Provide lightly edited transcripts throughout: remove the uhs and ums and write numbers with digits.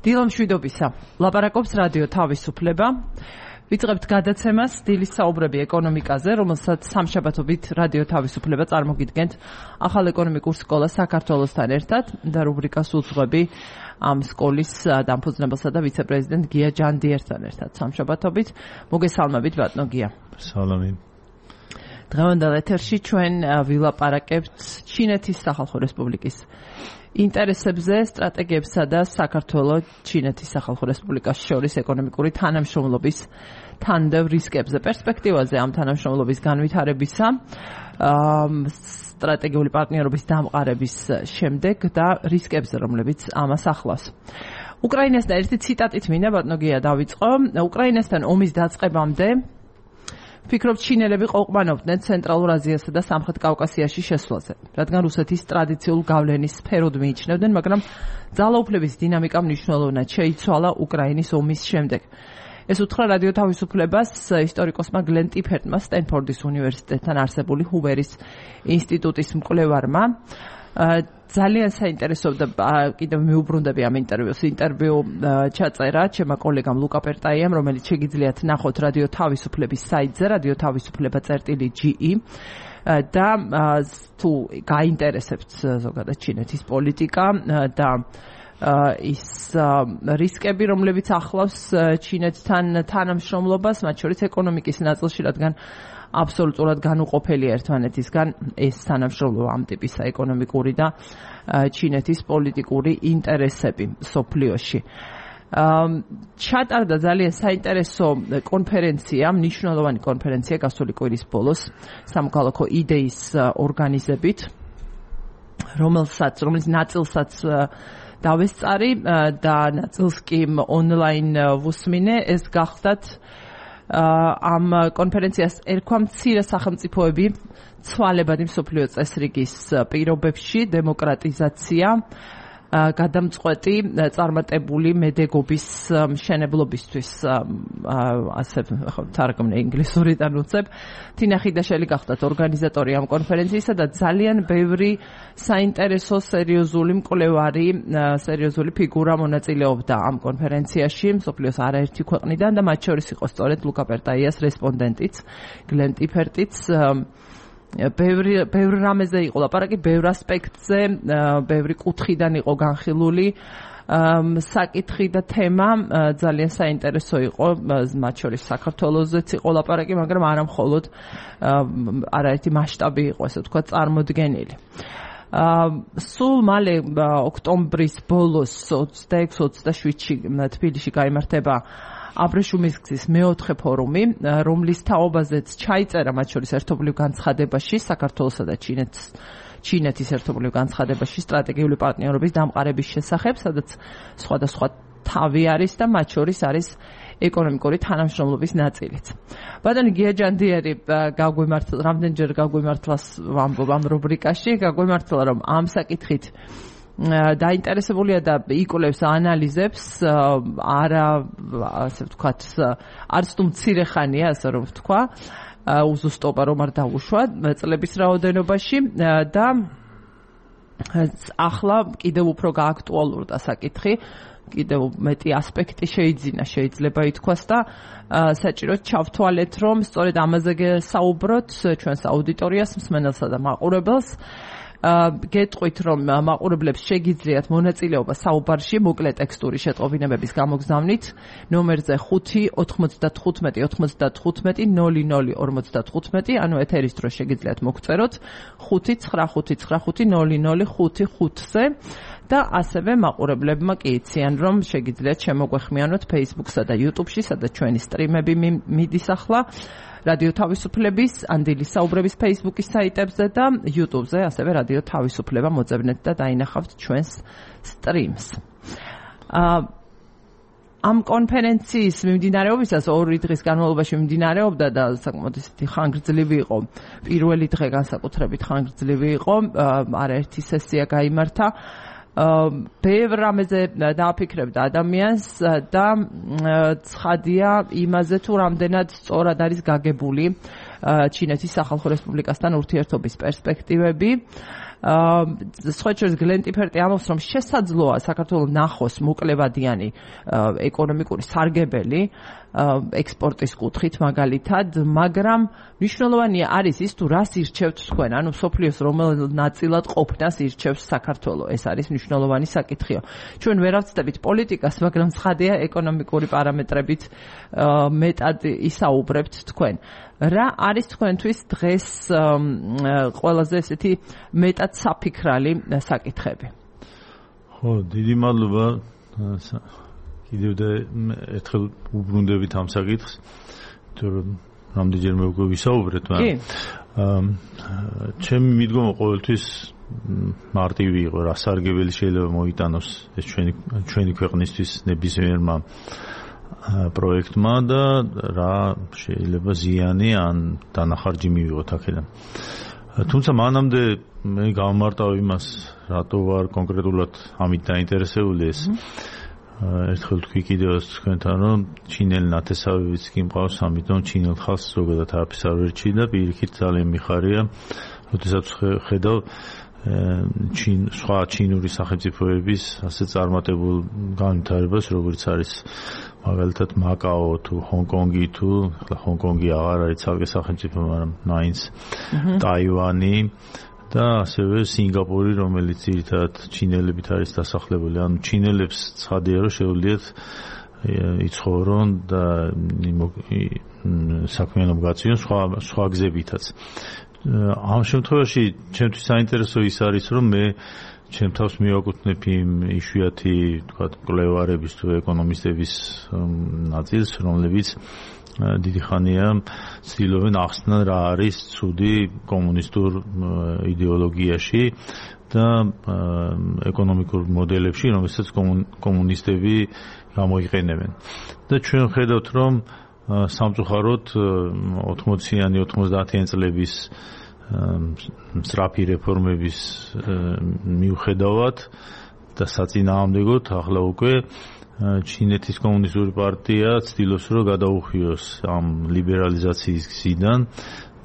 დილო მშვიდობისა. ლაპარაკობს რადიო თავისუფლება. ვიწყებთ გადაცემას დილის საუბრები ეკონომიკაზე, რომელსაც სამშაბათობით რადიო თავისუფლება წარმოგიდგენთ ახალ ეკონომიკურ სკოლას საქართველოსთან ერთად და რუბრიკას უძღვები ამ სკოლის დამფუძნებელსა და ვიცე-პრეზიდენტ გია ჯანდიერთან ერთად. სამშაბათობით მოგესალმებით ბატონო გია. სალამი. დღევანდელ ეთერში ჩვენ ვილაპარაკებთ ჩინეთის სახალხო რესპუბლიკის ინტერესებზე, სტრატეგიებსა და საქართველოს ჩინეთის სახალხო რესპუბლიკას შორის ეკონომიკური თანამშრომლობის თანდევ რისკებზე, პერსპექტივაზე ამ თანამშრომლობის განვითარებისა, სტრატეგიული პარტნიორობის დამყარების შემდეგ და რისკებზე, რომლებიც ამას ახლავს. უკრაინასთან ერთი ციტატით მინდა ბატონო გია დავიწყო. უკრაინასთან ომის დაწყებამდე ვფიქრობ, ჩინელები ყოყმანობდნენ ცენტრალურ აზიასა და სამხრეთ კავკასიაში შესვლაზე, რადგან რუსეთის ტრადიციულ გავლენის სფეროდ მიიჩნევდნენ, მაგრამ ძალაუფლების დინამიკა მნიშვნელოვნად შეიცვალა უკრაინის ომის შემდეგ. ეს უთხრა რადიო თავისუფლებას ისტორიკოსმა გლენ ტიფერტმა, სტენფორდის უნივერსიტეტთან არსებული ჰუვერის ინსტიტუტის მკვლევარმა. ძალიან საინტერესოა, კიდევ მიუბრუნდები ამ ინტერვიუ ჩაწერა ჩემმა კოლეგამ ლუკა პერტაიამ, რომელიც შეგიძლიათ ნახოთ რადიო თავისუფლების საიტზე, radiotavisupleba.ge და თუ გაინტერესებთ ზოგადად ჩინეთის პოლიტიკა და ის რისკები, რომლებიც ახლავს ჩინეთთან თანამშრომლობას, მათ შორის ეკონომიკის ნაწილში, რადგან აბსოლუტურად განუყოფელია ერთმანეთისგან ეს თანამშრომლობა ამ ტიპისა ეკონომიკური და ჩინეთის პოლიტიკური ინტერესები სოფლიოში. ჩატარდა ძალიან საინტერესო კონფერენცია, მნიშვნელოვანი კონფერენცია გასული კვირის ბოლოს სამოქალაქო იდეის ორგანიზებით, რომელიც ნაწილსაც დავესწარი და ნაწილს კი ონლაინ ვუსმინე. ეს გახდათ ამ კონფერენციას ერქვა მცირე სახელმწიფოები ცვალებადი მსოფლიო წესრიგის პირობებში, დემოკრატიზაცია, გადამწყვეტი წარმატებული მედეგობის მშენებლობისთვის, ასე თარგმნე ინგლისურიდან უცებ. თინა ხიდაშელი გახდათ ორგანიზატორი ამ კონფერენციისა და ძალიან ბევრი საინტერესო სერიოზული მკვლევარი, სერიოზული ფიგურა მონაწილეობდა ამ კონფერენციაში მსოფლიოს არაერთი ქვეყნიდან და მათ შორის იყო სწორედ ლუკა პერტაიას რესპონდენტიც, გლენ ტიფერტიც. ბევრი რამეზე იყო ლაპარაკი, ბევრ ასპექტზე, ბევრი კუთხიდან იყო განხილული საკითხი და თემა, ძალიან საინტერესო იყო, მათ შორის საქართველოსაც იყო ლაპარაკი, მაგრამ არა მხოლოდ, არაერთი მასშტაბი იყო, ესე ვთქვათ, წარმოდგენილი. სულ მალე ოქტომბრის ბოლოს 26-27-ში თბილისში გაიმართება აბრეშუმის გზის მეოთხე ფორუმი, რომლის თაობაზეც ჩაიწერა მათ შორის ერთობლივ განცხადებაში საქართველოსა და ჩინეთის ერთობლივ განცხადებაში სტრატეგიული პარტნიორობის დამყარების შესახებ, სადაც სხვადასხვა თავი არის და მათ შორის არის ეკონომიკური თანამშრომლობის ნაწილიც. ბატონი გია ჯანდიერი რამდენჯერ გაგვიმართლას ვამბობ ამ რუბრიკაში, გაგვიმართლა, რომ ამ საკითხით დაინტერესებულია და იკვლევს, ანალიზებს, არა, ასე ვთქვათ, არც თუ მცირე ხანია, ასე რომ ვთქვა, უზუსტობა რომ არ დაუშვა წლების რაოდენობაში და ახლა კიდევ უფრო გააქტუალურდა საკითხი, კიდევ მეტი ასპექტი შეიძლება ითქვას და საჭიროდ ჩავთვალეთ, რომ სწორედ ამაზე საუბროთ ჩვენს აუდიტორიას, მსმენელსა და მაყურებელს. გეტყვით, რომ მაყურებლებს შეგიძლიათ მონაწილეობა საუბარში მოკლე ტექსტური შეტყობინებების გამოგზავნით ნომერზე 5-95-95-00-55, ანუ ეთერის დროს შეგიძლიათ მოგწეროთ 5-95-00-55-ზე და ასევე მაყურებლებმა კი იციან, რომ შეგიძლიათ შემოგვეხმიანოთ Facebook-სა და YouTube-ში, სადაც ჩვენი სტრიმები მიდის ახლა. რადიო თავისუფლების, ანდილის საუბრების Facebook-ის საიტებზე და YouTube-ზე, ასევე რადიო თავისუფლება მოძებნეთ და დაინახავთ ჩვენს სტრიმს. ამ კონფერენციის მიმდინარეობისას 2 დღის განმავლობაში მიმდინარეობდა და საკმაოდ ისეთი ხანგრძლივი იყო. პირველი დღე განსაკუთრებით ხანგრძლივი იყო, არაერთი სესია გაიმართა. ბევრ რამეზე დააფიქრებდა ადამიანს და ცხადია იმაზე, თუ რამდენად სწორად არის გაგებული ჩინეთის სახალხო რესპუბლიკასთან ურთიერთობის პერსპექტივები. სხვა შორის გლენ ტიფერტი ამბობს, რომ შესაძლოა საქართველოს ნახოს მოკლევადიანი ეკონომიკური სარგებელი ექსპორტის კუთხით მაგალითად, მაგრამ მნიშვნელოვანია არის ის თუ რას ირჩევთ თქვენ, ანუ სოფლიოს რომელ ნაწილად ყოფნას ირჩევს საქართველო. ეს არის მნიშვნელოვანი საკითხია. ჩვენ ვერ ავწდებით პოლიტიკას, მაგრამ ცხადია ეკონომიკური პარამეტრებით მეტად ისაუბრებთ თქვენ. რა არის თქვენთვის დღეს ყველაზე ესეთი მეტად საფიქრალი საკითხები? ხო, დიდი მადლობა. კიდევ და ერთხელ უბრუნდებით ამ საკითხს, თორემ რამდენჯერმე უკვე ვისაუბრეთ, მაგრამ ჩემი მიდგომა ყოველთვის მარტივი იყო, რა სარგებელი შეიძლება მოიტანოს ეს ჩვენი ქვეყნისთვის ნებისმიერმა პროექტმა და რა შეიძლება ზიანი ან დანახარჯი მივიღოთ აქედან. თუმცა მანამდე მე გავმარტავ იმას, რატო ვარ კონკრეტულად ამით დაინტერესებული ეს. ერთხელ თქვი კიდევ თქვენთან, რომ ჩინელი ნათესავებიც კი მყავს, ამიტომ ჩინელ ხალხს ზოგადად არაფერს არ ვერჩი და პირიქით ძალიან მიხარია, როდესაც ხედავ სხვა ჩინური სახელმწიფოების ასე წარმატებულ განვითარებას, როგორც არის მაგალითად მაკაო თუ ჰონკონგი თუ ჰონკონგი აღარ არის ცალკე სახელმწიფო, მაგრამ მაინც ტაივანი და ასევე სინგაპური, რომელიც ძირითადად ჩინელებით არის დასახლებული. ანუ ჩინელებს ცხადია, რომ შეუძლიათ იცხოვრონ და საქმიანობა გაწიონ სხვა გზებითაც. ამ შემთხვევაში ჩემთვის საინტერესო ის არის, რომ მე ჩემ თავს მივაკუთვნებ იმ იშვიათი, თქვათ, მკვლევარების თუ ეკონომისტების ნაწილს, რომლებიც დიდი ხანია ცდილობენ ახსნან რა არის ცუდი კომუნისტურ იდეოლოგიაში და ეკონომიკურ მოდელებში, რომელსაც კომუნისტები გამოიყენებენ. და ჩვენ ხედავთ, რომ სამწუხაროდ 80-იანი 90-იანი წლების სწრაფი რეფორმების მიუხედავად და საწინააღმდეგოდ ახლა უკვე ჩინეთის კომუნისტური პარტია ცდილობს, რომ გადაუხვიოს ამ ლიბერალიზაციის გზიდან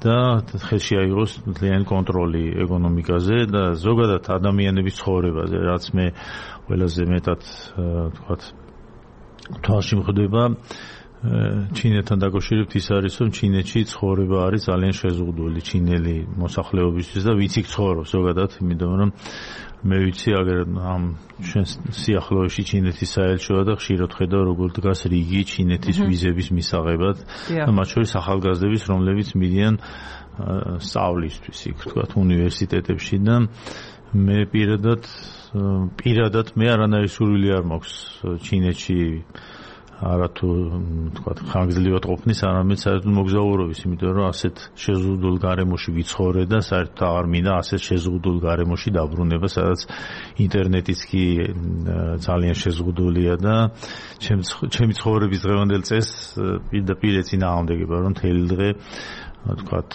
და ხელში აიღოს მთლიანი კონტროლი ეკონომიკაზე და ზოგადად ადამიანების ცხოვრებაზე, რაც მე ყველაზე მეტად თქვათ თვალში მხვდება ჩინეთთან დაკავშირებით ის არის, რომ ჩინეთში ცხოვრება არის ძალიან შეზღუდული ჩინელი მოსახლეობისთვის და ვიცი ცხოვრობს ზოგადად, იმიტომ რომ მე ვიცი აგერ ამ ჩვენ სიახლოვეში ჩინეთის საელჩოა და ხშირად ხედავ როგორ დგას რიგი ჩინეთის ვიზების მისაღებად და მათ შორის ახალგაზრდების, რომლებიც მიდიან სწავლისთვის იქ თქვათ უნივერსიტეტებში და მე პირადად მე არანაირი სურვილი არ მაქვს ჩინეთში არათუ თქვათ ხანგრძლივად ყოფნის, არამედ საერთოდ მოგზაურობის, იმიტომ რომ ასეთ შეზღუდულ გარემოში ვიცხოვრე და საერთოდ აღარ მინდა ასეთ შეზღუდულ გარემოში დაბრუნება, სადაც ინტერნეტიც კი ძალიან შეზღუდულია და ჩემი ცხოვრების დღევანდელ წესს პირდაპირ ეწინააღმდეგება, რომ მთელი დღე თქვათ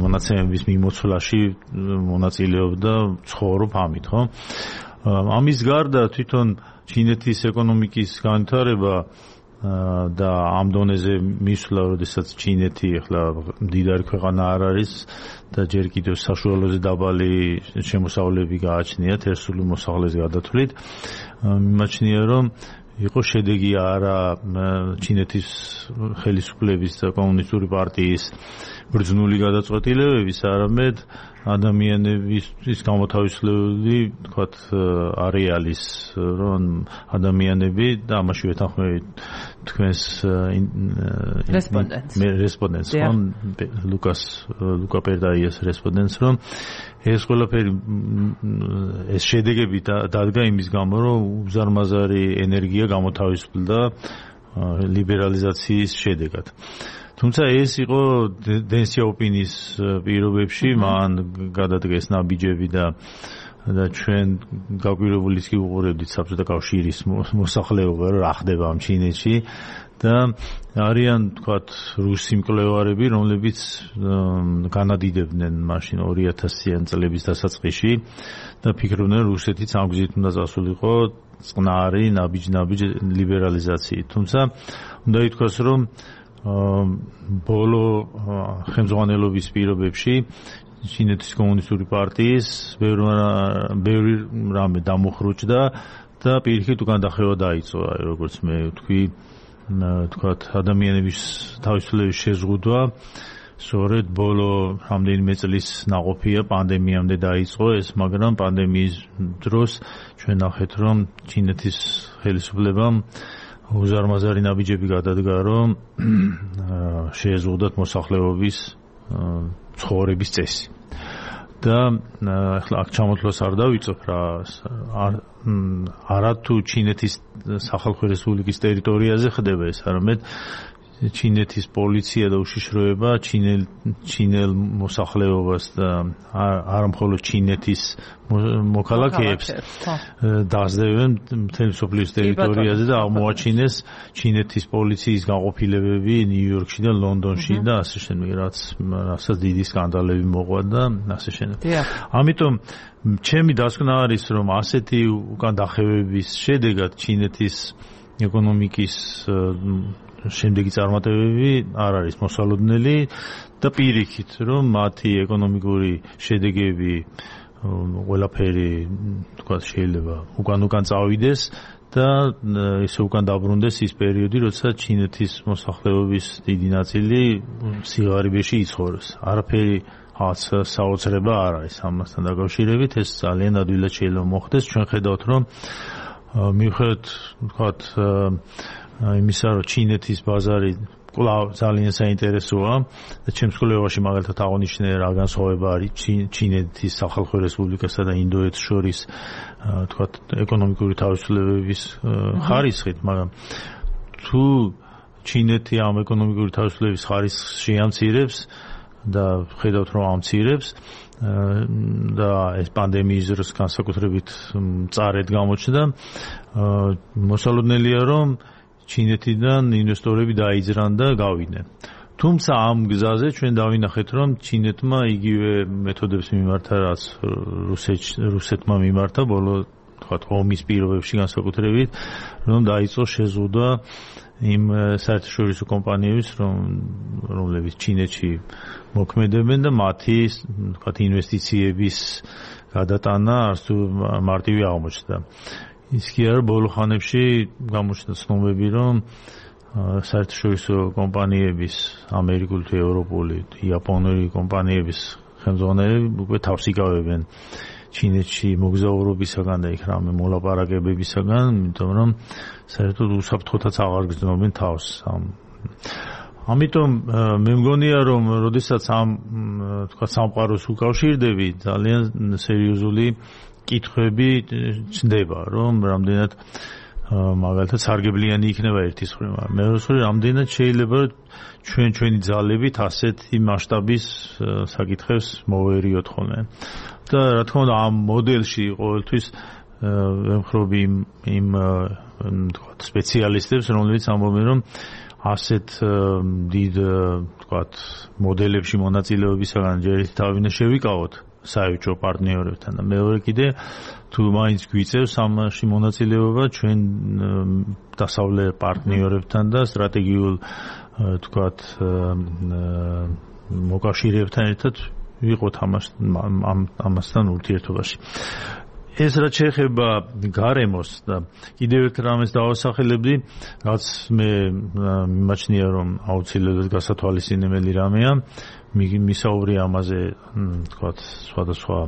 მონაცემების მიმოცვლაში მონაწილეობდა ცხოვრობ ამით, ხო? ამის გარდა თვითონ ჩინეთის ეკონომიკის განვითარება და ამ დონეზე მისვლა, როდესაც ჩინეთი ახლა მდიდარი ქვეყანა არ არის და ჯერ კიდევ საშუალოზე დაბალი შემოსავლები გააჩნიათ ერთსული მოსახლეობის გადათვლით, მიმაჩნია, რომ იყო შედეგი არა ჩინეთის ხელისუფლების და კომუნისტური პარტიის ბრძნული გადაწყვეტილებების, არამედ ადამიანების გამოთავისუფლებული, თქვათ, არეალის, რომ ადამიანები და ამაში ვეთანხმებით თქვენს რესპონდენტს, ლუკა პერდაიას რესპონდენტს, რომ ეს ყველაფერი ეს შედეგები დადგა იმის გამო, რომ უზარმაზარი ენერგია გამოთავისუფლდა ლიბერალიზაციის შედეგად. თუმცა ეს იყო დენ სიაოპინის პირობებში, მან გადადგეს ნაბიჯები და ჩვენ გაგვირებულიც კი უყურებდით საბჭოთა კავშირის მოსახლეობა, რომ რა ხდება ამ ჩინეთში და არიან, თქვათ, რუსი მკვლევარები, რომლებიც განადიდებდნენ მაშინ 2000-იან წლების დასაწყისში და ფიქრობდნენ, რუსეთიც ამ გზით უნდა წასულიყო წყნარი ნაბიჯ ლიბერალიზაციით. თუმცა უნდა ითქვას, რომ ბოლო ხელმძღვანელობის პირობებში ჩინეთის კომუნისტური პარტიის ბევრი რამე დამოხრუჭდა და პირიქით უკან დახევა დაიწყო, როგორც მე ვთქვი, თქვათ ადამიანების თავისუფლების შეზღუდვა სწორედ ბოლო რამდენიმე წლის ნაყოფია პანდემიამდე დაიწყო ეს, მაგრამ პანდემიის დროს ჩვენ ნახეთ, რომ ჩინეთის ხელისუფლებამ უზარმაზარი ნაბიჯები გადადგა, რომ შეეზღუდათ მოსახლეობის ცხოვრების წესი. და ახლა აქ ჩამოთვლას არ დავიწყებ რა, არა თუ ჩინეთის სახალხო რესპუბლიკის ტერიტორიაზე ხდება ეს, არამედ ჩინეთის პოლიცია და უშიშროება ჩინელ მოსახლეობას და არა მხოლოდ ჩინეთის მოქალაქეებს დაასდევენ მთელი მსოფლიოს ტერიტორიაზე და აღმოაჩინეს ჩინეთის პოლიციის გაყოფილებები ნიუ-იორკში და ლონდონში და ასე შემდეგ, რასაც დიდი სკანდალები მოყვა და ასე შემდეგ. ამიტომ ჩემი დასკვნა არის, რომ ასეთი უკან დახევების შედეგად ჩინეთის ეკონომიკის შემდეგი წარმატებები არ არის მოსალოდნელი და პირიქით, რომ მათი ეკონომიკური შედეგები ყველაფერი თქვათ შეიძლება უკან წავიდეს და ესე უკან დაბრუნდეს ის პერიოდი, როცა ჩინეთის მოსახლეობის დიდი ნაწილი სიღარიბეში იცხოვრეს. არაფერი საოცრება არ არის ამასთან დაკავშირებით, ეს ძალიან ადვილად შეიძლება მოხდეს. ჩვენ ხედავთ, რომ მიუხედავად თქვათ იმისა, რომ ჩინეთის ბაზარი კვლავ ძალიან საინტერესოა და ჩემს კვლევაში მაგალითად აღნიშნე რა განსხვავება არის ჩინეთის სახალხო რესპუბლიკასა და ინდოეთს შორის თქვათ ეკონომიკური თავისუფლებების ხარისხით, მაგრამ თუ ჩინეთი ამ ეკონომიკური თავისუფლების ხარისხს შეამცირებს და ხედავთ, რომ ამცირებს და ეს პანდემიის დროს განსაკუთრებით მწარედ გამოჩნდა, მოსალოდნელია, რომ ჩინეთიდან ინვესტორები დაიძრან და გავიდნენ. თუმცა ამ გზაზე ჩვენ დავინახეთ, რომ ჩინეთმა იგივე მეთოდებს მიმართა, რაც რუსეთმა მიმართა ბოლო თქვათ ომის პირობებში განსაკუთრებით, რომ დაიწყო შეზღუდვა იმ საერთაშორისო კომპანიების, რომლებიც ჩინეთში მოქმედებენ და მათი თქვათ ინვესტიციების გადატანა არც თუ მარტივი აღმოჩნდა. ის კი არა, ბოლო ხანებში გამოჩნდა ცნობები, რომ საერთაშორისო კომპანიების, ამერიკული თუ ევროპული, იაპონური კომპანიების ხელმძღვანელები უკვე თავს იკავებენ ჩინეთში მოგზაურობისაგან და იქ რამე მოლაპარაკებებისაგან, იმიტომ რომ საერთოდ უსაფრთხოთაც აღარ გრძნობენ თავს. ამიტომ მე მგონია, რომ როდესაც ამ თქვა სამყაროს უკავშირდები, ძალიან სერიოზული კითხვები ჩნდება, რომ რამდენად მაგალითად სარგებლიანი იქნება ერთის მხრივ, მეორეს მხრივ რამდენად შეიძლება ჩვენი ძალებით ასეთი მასშტაბის საკითხებს მოვერიოთ ხოლმე. და რა თქმა უნდა ამ მოდელში ყოველთვის ვემხრობი იმ თქვა სპეციალისტებს, რომლებიც ამბობენ, რომ ასეთ დიდ თქვა მოდელებში მონაწილეობისაგან ჯერ თავი უნდა შევიკავოთ საერთო პარტნიორებთან და მეორე კიდე თუ მაინც გვიწევს ამაში მონაწილეობა ჩვენ დასავლეთ პარტნიორებთან და სტრატეგიულ თქვათ მოკავშირეებთან ერთად ვიყოთ ამასთან ურთიერთობაში. ეს რაც შეეხება გარემოს და კიდევ ერთ რამეს დავასახელებდი, რაც მე მიმაჩნია, რომ აუცილებლად გასათვალისწინებელი რამეა, მისაუბრე ამაზე თქვათ სხვადასხვა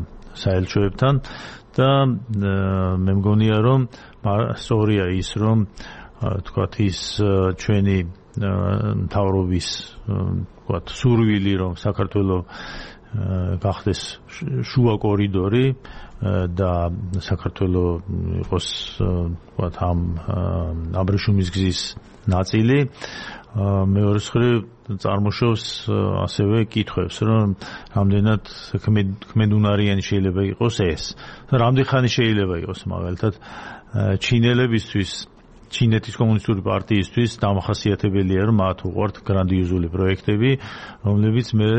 საელჩოებთან და მე მგონია, რომ სწორია ის, რომ თქვათ ის ჩვენი მთავრობის თქვათ სურვილი, რომ საქართველოს გახდეს შუა კორიდორი და საქართველოს იყოს თქვათ ამ აბრეშუმის გზის ნაწილი, მეორე მხრივ წარმოშობს ასევე კითხვებს, რომ რამდენად ქმედუნარიანი შეიძლება იყოს ეს. რამდენი ხანი შეიძლება იყოს მაგალითად ჩინელებისთვის, ჩინეთის კომუნისტური პარტიისთვის დამახასიათებელია, რომ მათ უყვართ გრანდიოზული პროექტები, რომლებიც მე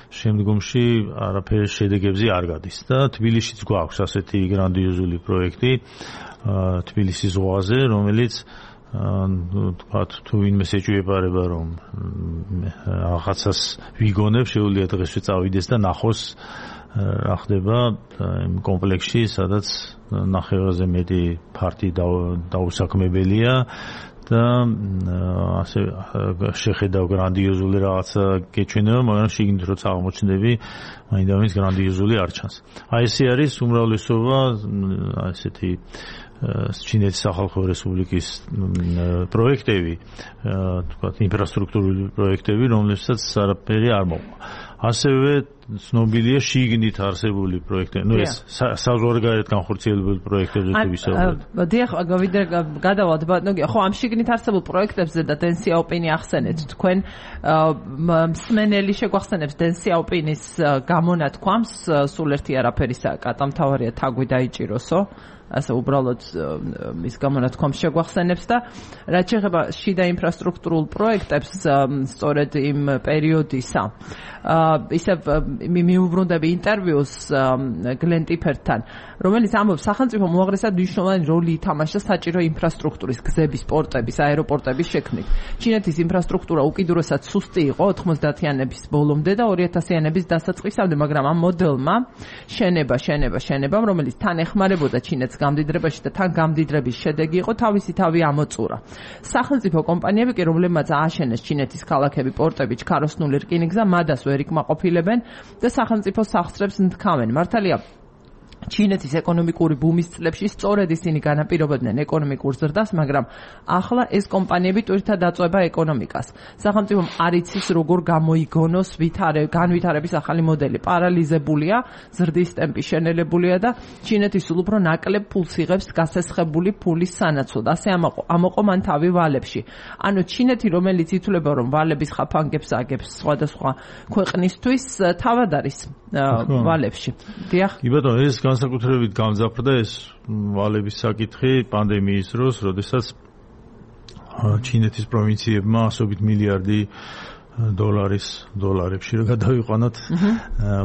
შემდგომში არაფერ შედეგებზე არ გადის. და თბილისშიც გვაქვს ასეთი გრანდიოზული პროექტი თბილისის ზღვაზე, რომელიც თუ ვინმე ეჭვიებარება რომ რაღაცას ვიგონებ, შეუძლია დღესვე წავიდეს და ნახოს რა ხდება იმ კომპლექსში, სადაც 9-ზე მეტი ფარტი დაუსაქმებელია და ასე შეხედავ გრანდიოზული რაღაცა გეჩვენება, მაგრამ შიგნით როცა აღმოჩნდები, მაინდამის გრანდიოზული არ ჩანს. აი ესე არის უმრავლესობა ასეთი ჩინეთის სახალხო რესპუბლიკის პროექტები, თქვათ ინფრასტრუქტურული პროექტები, რომლებსაც არაფერი არ მოყვა. ასევე ცნობილია შიგნით არსებული პროექტები. ნუ ეს საზღვარგარეთ განხორციელებული პროექტებზე თუ ვისაუბრებთ. დიახ, გადავალთ ბატონო, ხო ამ შიგნით არსებულ პროექტებზე და დენ სიაოპინი ახსენეთ. თქვენ მსმენელი შეგვახსენებს დენ სიაოპინის გამონათქვამს, სულ ერთი არაფერისა კატამთავარია თაგვი დაიჭიროსო. ასე უბრალოდ ის გამონათქვამს შეგვახსენებს და რაც შეეხება შიდა ინფრასტრუქტურულ პროექტებს სწორედ იმ პერიოდისა ისე მიუბრუნდები ინტერვიუს გლენ ტიფერთან, რომელიც ამბობს სახელმწიფო მოაღრესად მნიშვნელოვანი როლი ითამაშა საჭირო ინფრასტრუქტურის, გზების, პორტების, აეროპორტების შექმნით. ჩინეთის ინფრასტრუქტურა უკიდურესად სუსტი იყო 90-იანების ბოლომდე და 2000-იანების დასაწყისამდე, მაგრამ ამ მოდელმა შენება, რომელიც თან ეხმარებოდა ჩინეთს გამდიდრებაში და თან გამდიდრების შედეგი იყო თავისი თავი ამოწურა. სახელმწიფო კომპანიები კი, რომლებმაც ააშენეს ჩინეთის ქალაქები, პორტები, ჩქაროსნული რკინიგზა, მადას ვერ იკმაყოფილებენ და სახელმწიფო სახსრებს ნთქავენ. მართალია ჩინეთის ეკონომიკური ბუმის წლებში სწორედ ისინი განაპირობებდნენ ეკონომიკურ ზრდას, მაგრამ ახლა ეს კომპანიები ტვირთად აწვება ეკონომიკას. სახელმწიფომ არ იცის როგორ გამოიგონოს განვითარების ახალი მოდელი. პარალიზებულია, ზრდის ტემპი შენელებულია და ჩინეთი სულ უფრო ნაკლებ ფულს იღებს გასესხებული ფულის სანაცვლოდ. ასე ამოყო მან თავი ვალებში. ანუ ჩინეთი, რომელიც ითვლება რომ ვალების ხაფანგებს აგებს სხვადასხვა ქვეყნისთვის, თავად არის ვალებში. დიახ. კი ბატონო, ეს განსაკუთრებით გამძაფრდა ეს ვალების საკითხი პანდემიის დროს, როდესაც ჩინეთის პროვინციებმა ასობით მილიარდი დოლარებში რომ გადავიყვანოთ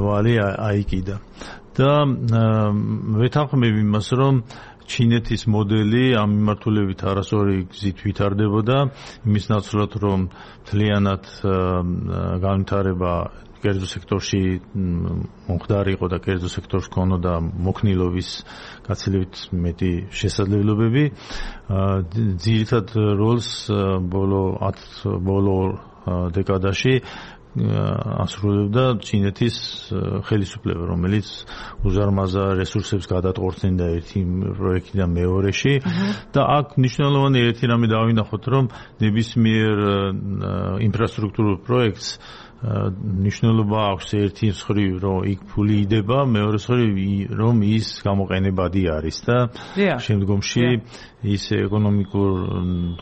ვალი აიკიდა. და ვეთანხმებ იმას, რომ ჩინეთის მოდელი ამ მიმართულებით არასორი გზით ვითარდებოდა, იმის ნაცვლად რომ მთლიანად განვითარება კერძო სექტორში მომხდარი იყო და კერძო სექტორს ქონოდა მოქნილობის გაცილებით მეტი შესაძლებლობები. ძირითად როლს ბოლო დეკადაში ასრულებდა ჩინეთის ხელისუფლება, რომელიც უზარმაზარ რესურსებს გადატყორცნიდა ერთი პროექტიდან მეორეში და აქ მნიშვნელოვანი ერთი რამე დავინახოთ, რომ ნებისმიერ ინფრასტრუქტურულ პროექტს ნიშნულობა აქვს ერთი მხრივ, რომ იქ ფული იდება, მეორე მხრივ, რომ ის გამოყენებადი არის და შემდგომში ის ეკონომიკურ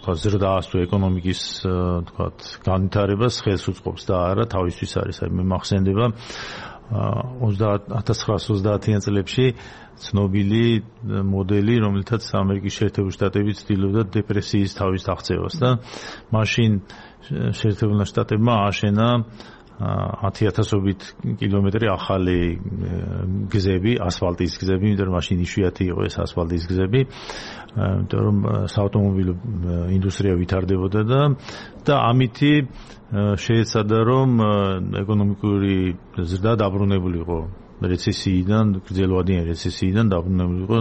ზრდას თუ ეკონომიკის განვითარებას ხელს უწყობს და არა თავისთვის არის. მე მახსენდება 1930-იან წლებში ცნობილი მოდელი, რომელთაც ამერიკის შეერთებული შტატები ცდილობდა დეპრესიის თავის აღწევას და მაშინ შეერთებულმა შტატებმა ააშენა 10,000-ობით კილომეტრი ახალი გზები, ასფალტის გზები, იმიტომ რომ მაშინ იშვიათი იყო ეს ასფალტის გზები, იმიტომ რომ საავტომობილო ინდუსტრია ვითარდებოდა და ამითი შეეცადა რომ ეკონომიკური ზრდა დაბრუნებული იყო რეცესიიდან, გრძელვადიანი რეცესიიდან დაბრუნებული იყო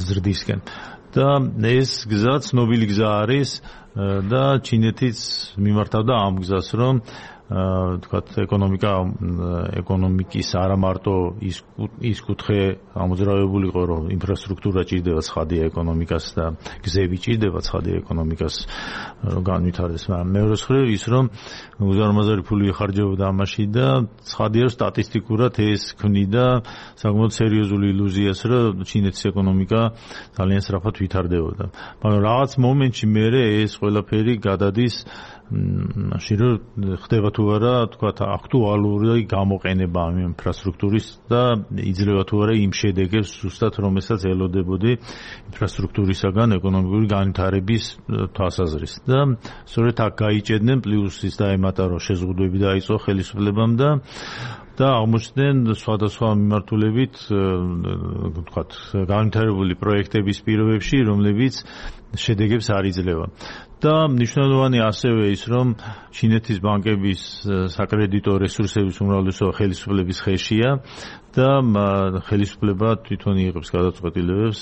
ზრდისკენ. და ეს გზა ცნობილი გზა არის და ჩინეთიც მიმართავდა ამ გზას, რომ თქვათ ეკონომიკის არა მარტო ის კუთხე ამოძრავებული იყო, რომ ინფრასტრუქტურა ჭირდება ცხადია ეკონომიკას და გზები ჭირდება ცხადია ეკონომიკას რომ განვითარდეს, მაგრამ მეორე მხრივ ის რომ უზარმაზარი ფული იხარჯებოდა ამაში და ცხადია რომ სტატისტიკურად ეს ქმნიდა საკმაოდ სერიოზული ილუზიას, რომ ჩინეთის ეკონომიკა ძალიან სწრაფად ვითარდებოდა. მაგრამ რაღაც მომენტში მერე ეს ყველაფერი გადადის მაშინ რომ ხდება თუ არა თქვათ აქტუალური გამოყენება ამ ინფრასტრუქტურის და იძლევა თუ არა იმ შედეგებს ზუსტად რომელსაც ელოდებოდი ინფრასტრუქტურისაგან ეკონომიკური განვითარების თვალსაზრისით და სწორედ აქ გაიჭედნენ პლუს ის დაემატა რომ შეზღუდვები დაიწყო ხელისუფლებამ და და აღმოჩნდნენ სხვადასხვა მიმართულებით ვთქვათ განვითარებული პროექტების პირობებში, რომლებიც შედეგებს არ იძლევა. და მნიშვნელოვანი ასევე ის, რომ ჩინეთის ბანკების საკრედიტო რესურსების უმრავლესობა ხელისუფლების ხელშია და ხელისუფლება თვითონ იღებს გადაწყვეტილებებს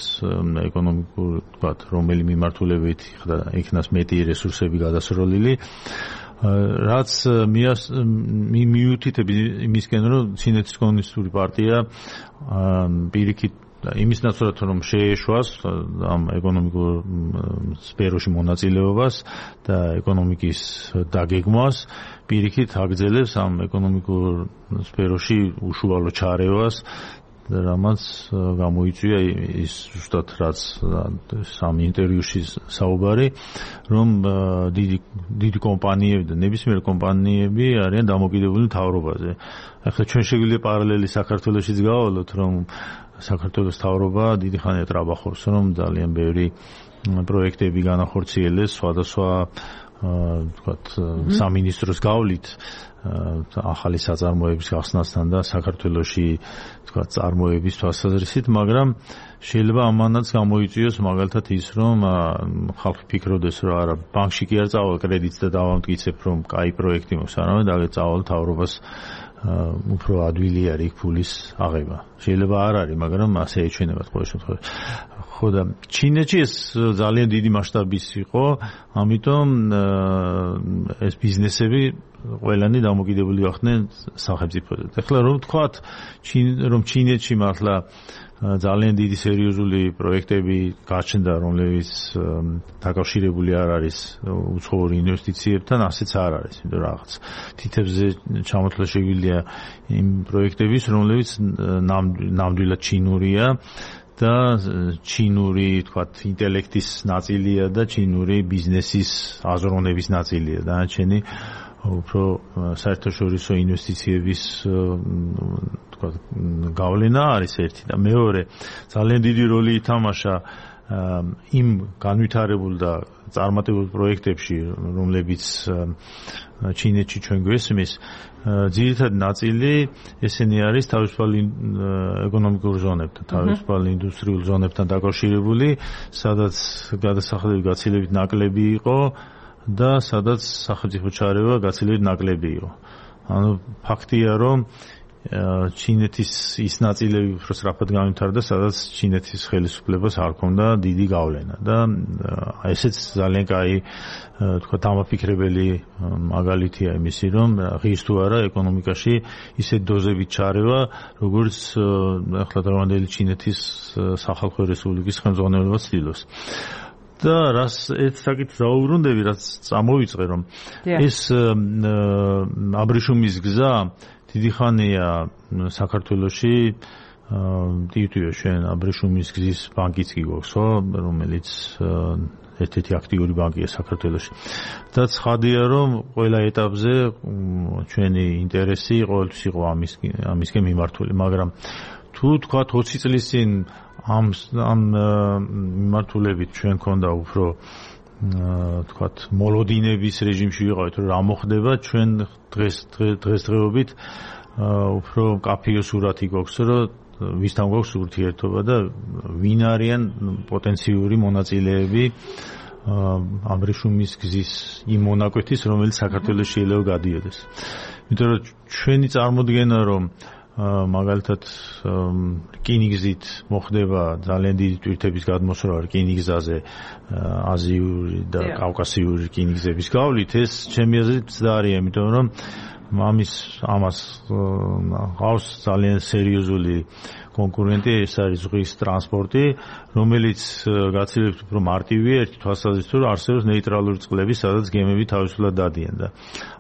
ეკონომიკურ, ვთქვათ, რომელი მიმართულებით იქნას მეტი რესურსები გადასროლილი. რაც მიუთითებს იმისკენ, რომ ჩინეთის კომუნისტური პარტია პირიქით იმის ნაცვლად რომ შეეშვას ამ ეკონომიკურ სფეროში მონაწილეობას და ეკონომიკის დაგეგმვას, პირიქით აგრძელებს ამ ეკონომიკურ სფეროში უშუალო ჩარევას, რამაც გამოიწვია ის ზუსტად რაც სამ ინტერვიუში საუბარი, რომ დიდი კომპანიები და ნებისმიერ კომპანიები არიან დამოკიდებული მთავრობაზე. ახლა ჩვენ შეგვიძლია პარალელი საქართველოშიც გავავლოთ, რომ საქართველოს მთავრობა დიდი ხანია ტრაბახობს, რომ ძალიან ბევრი პროექტები განახორციელეს სხვადასხვა ვთქვათ სამინისტროს გავლით ახალი საწარმოების გახსნასთან და საქართველოში ვთქვათ წარმოების თვალსაზრისით, მაგრამ შეიძლება ამანაც გამოიწვიოს მაგალითად ის, რომ ხალხი ფიქრობდეს, რომ არა ბანკში კი არ წავალ კრედიტს და დავამტკიცებ, რომ კაი პროექტი მაქვს, არამედ აგე წავალ მთავრობას უფრო ადვილი არის ფულის აღება. შეიძლება არ არის, მაგრამ ასე ეჩვენებათ ყოველ შემთხვევაში. ხო და ჩინეთში ეს ძალიან დიდი მასშტაბის იყო, ამიტომ ეს ბიზნესები ყველანი დამოკიდებული გახდნენ სახელმწიფოზე. ეხლა რომ ვთქვათ, რომ ჩინეთში მართლა ძალიან დიდი სერიოზული პროექტები გაჩნდა, რომლებიც დაკავშირებული არ არის უცხოურ ინვესტიციებთან, ასეც არ არის, იმიტომ რაღაც თითებზე ჩამოთვლა შეგვიძლია იმ პროექტების, რომლებიც ნამდვილად ჩინურია და ჩინური, თქვათ, ინტელექტის ნაწილია და ჩინური ბიზნესის აზროვნების ნაწილია. დანარჩენი უფრო საერთაშორისო ინვესტიციების თქვათ გავლენა არის ერთი და მეორე ძალიან დიდი როლი ითამაშა იმ განვითარებულ და წარმატებულ პროექტებში, რომლებიც ჩინეთში ჩვენ გვესმის, ძირითადი ნაწილი ესენი არის თავისუფალი ეკონომიკურ ზონებთან, თავისუფალი ინდუსტრიულ ზონებთან დაკავშირებული, სადაც გადასახადები გაცილებით ნაკლები იყო და სადაც სახელმწიფო ჩარევა გაცილებით ნაკლები იყო. ანუ ფაქტია, რომ ჩინეთის ის ნაწილები უფრო სწრაფად განვითარდა, სადაც ჩინეთის ხელისუფლებას არ ჰქონდა დიდი გავლენა და ესეც ძალიან კაი თქვა დამაფიქრებელი მაგალითია იმისი, რომ ღირს თუ არა ეკონომიკაში ისეთ დოზებით ჩარევა, როგორც ახლა დღევანდელი ჩინეთის სახალხო რესპუბლიკის ხელმძღვანელობა ცდილობს. და რას ერთ საკითხს დავუბრუნდები, რაც წამოვიწყე, რომ ეს აბრეშუმის გზა დიდი ხანია საქართველოში, ტივტივე ჩვენ აბრეშუმის გზის ბანკიც კი გვაქვს, ხო, რომელიც ერთ-ერთი აქტიური ბანკია საქართველოში. და ცხადია, რომ ყველა ეტაპზე ჩვენი ინტერესი ყოველთვის იყო ამისკენ მიმართული, მაგრამ თუ თქვათ 20 წლის წინ ამ მიმართულებით ჩვენ ქონდა უფრო თქვათ მოლოდინების რეჟიმში ვიყავით, რომ რა მოხდება, ჩვენ დღესდღეობით უფრო კაფეო სურათი გვაქვს, რომ ვისთან გვაქვს ურთიერთობა და ვინ არიან პოტენციური მონაწილეები აბრეშუმის გზის იმ მონაკვეთის, რომელიც საქართველოს შეიძლება გადიოდეს. იმიტომ რომ ჩვენი წარმოდგენა, რომ მაგალითად რკინიგზით მოხდება ძალიან დიდი ტვირთების გადმოსროლა რკინიგზაზე აზიური და კავკასიური რკინიგზების გავლით, ეს ჩემი აზრით მცდარია, იმიტომ რომ ამას ყავს ძალიან სერიოზული კონკურენტი, ეს არის ზღვის ტრანსპორტი, რომელიც გაცილებით უფრო მარტივია ერთი თვალსაზრისით, რომ არსებობს ნეიტრალური წყლები, სადაც გემები თავისუფლად დადიან და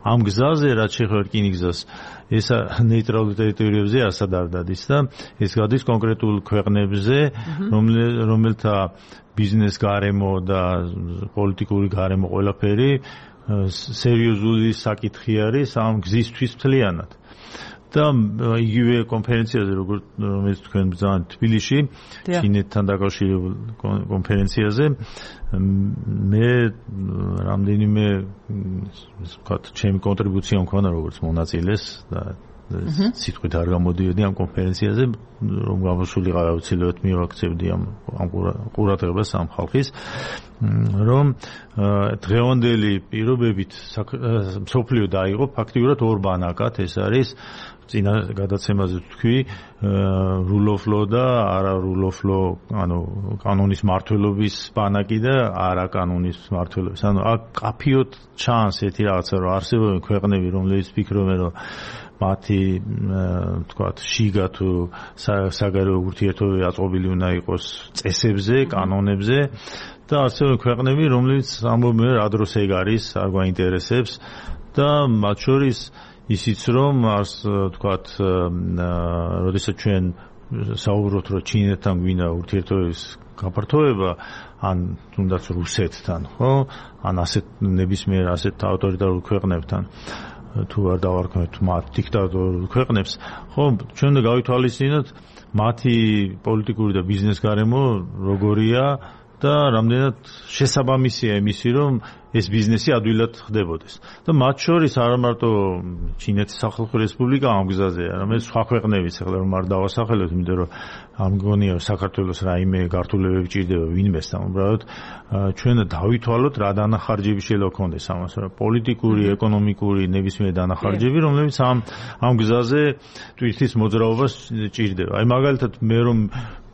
ამ გზაზე, რაც შეეხება რკინიგზას, ეს ნეიტრალურ ტერიტორიებზე ასად არ დადის და ეს გადის კონკრეტულ ქვეყნებზე, რომელთა ბიზნეს გარემო და პოლიტიკური გარემო ყველაფერი სერიოზული საკითხი არის ამ გზისთვის მთლიანად. და იგივე კონფერენციაზე, რომელიც თქვენ ბრძანეთ თბილისში, ჩინეთთან დაკავშირებულ კონფერენციაზე, მე რამდენიმე ვთქვათ, ჩემი კონტრიბუცია მქონდა როგორც მონაწილეს და სიტყვით არ გამოდიოდი ამ კონფერენციაზე, რომ გამოსულიყავი აუცილებლად მივაქცევდი ამ ყურადღებას ამ ხალხის, რომ დღევანდელი პირობებით მსოფლიო დაიღო ფაქტიურად ორ ბანაკად, ეს არის წინა გადაცემაზე თქვი rule of law და არა rule of law, ანუ კანონის მართლობის ბანაკი და არა კანონის მართლობის. ანუ აქ კაფიოდ ჩანს ერთი რაღაცა, რომ არსებობენ ქვეყნები, რომლებიც ფიქრობენ, რომ მათი თქვათ შიგა თუ საგარეო ურთიერთობები აწყობილი უნდა იყოს წესებზე, კანონებზე და არსებობენ ქვეყნები, რომლებიც ამბობენ, რა დროს ეგ არის, არ გვაინტერესებს და მათ შორის ისიც რომ არს თქვათ როდესაც ჩვენ საუბრობთ რომ ჩინეთთან გვინდა ურთიერთობების გაფართოება ან თუნდაც რუსეთთან ხო ან ასეთ ნებისმიერ ასეთ ავტორიტარულ ქვეყნებთან თუ არ დავარქმევთ მათ დიქტატორულ ქვეყნებს ხო ჩვენ უნდა გავითვალისწინოთ მათი პოლიტიკური და ბიზნეს გარემო როგორია და რამდენად შესაბამისია იმისი რომ ეს ბიზნესი ადვილად ხდებოდეს და მათ შორის არა მარტო ჩინეთის სახალხო რესპუბლიკა ამ გზაზეა, არამედ სხვა ქვეყნებიც, ახლა რომ არ დავასახელოთ, იმიტომ რომ ამ გონია საქართველოს რაიმე გართულებები ჭირდება ვინმესთან, უბრალოდ ჩვენ დავითვალოთ რა დანახარჯები შეიძლება გქონდეს ამას, რა პოლიტიკური, ეკონომიკური, ნებისმიერ დანახარჯები, რომლებიც ამ გზაზე ტვირთის მოძრაობას ჭირდება. აი მაგალითად მე რომ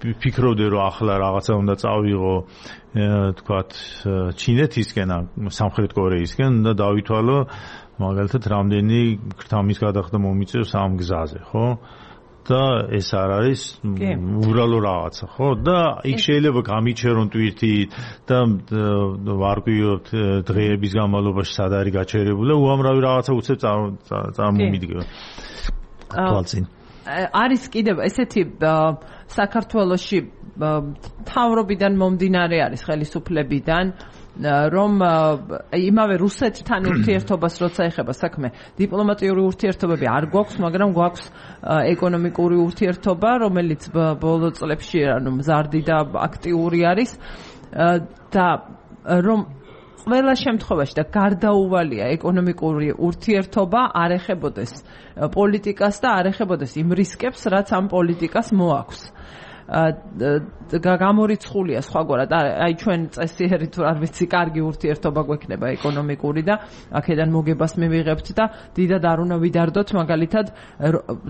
ფიქრობდი რომ ახლა რაღაცა უნდა წავიღო თქვათ ჩინეთისკენ სამხრეთ კორეისკენ და დავითვალო მაგალითად რამდენი ქრთამის გადახდა მომიწევს ამ გზაზე ხო და ეს არ არის უბრალო რაღაცა ხო და იქ შეიძლება გამიჩერონ თვითით და ვარკვიოთ დღეების განმავლობაში სად არის გაჩერებული უამრავი რაღაცა უცებ წარმომიდგება თვალწინ არის კიდევ ესეთი საქართველოში თავრობიდან მომდინარე არის ხელისუფლებიდან რომ იმავე რუსეთთან ურთიერთობას როცა ეხება საქმე დიპლომატიური ურთიერთობები არ გვაქვს მაგრამ გვაქვს ეკონომიკური ურთიერთობა რომელიც ბოლო წლებში მზარდი და აქტიური არის და რომ ყველა შემთხვევაში და გარდაუვალია ეკონომიკური ურთიერთობა არ ეხებოდეს პოლიტიკას და არ ეხებოდეს იმ რისკებს რაც ამ პოლიტიკას მოაქვს გამორიცხულია სხვაგვარად აი ჩვენ წესიერი თუ არ ვიცი კარგი ურთიერთობა გვექნება ეკონომიკური და აქედან მოგებას მივიღებთ და დიდად არ უნდა ვიდარდოთ მაგალითად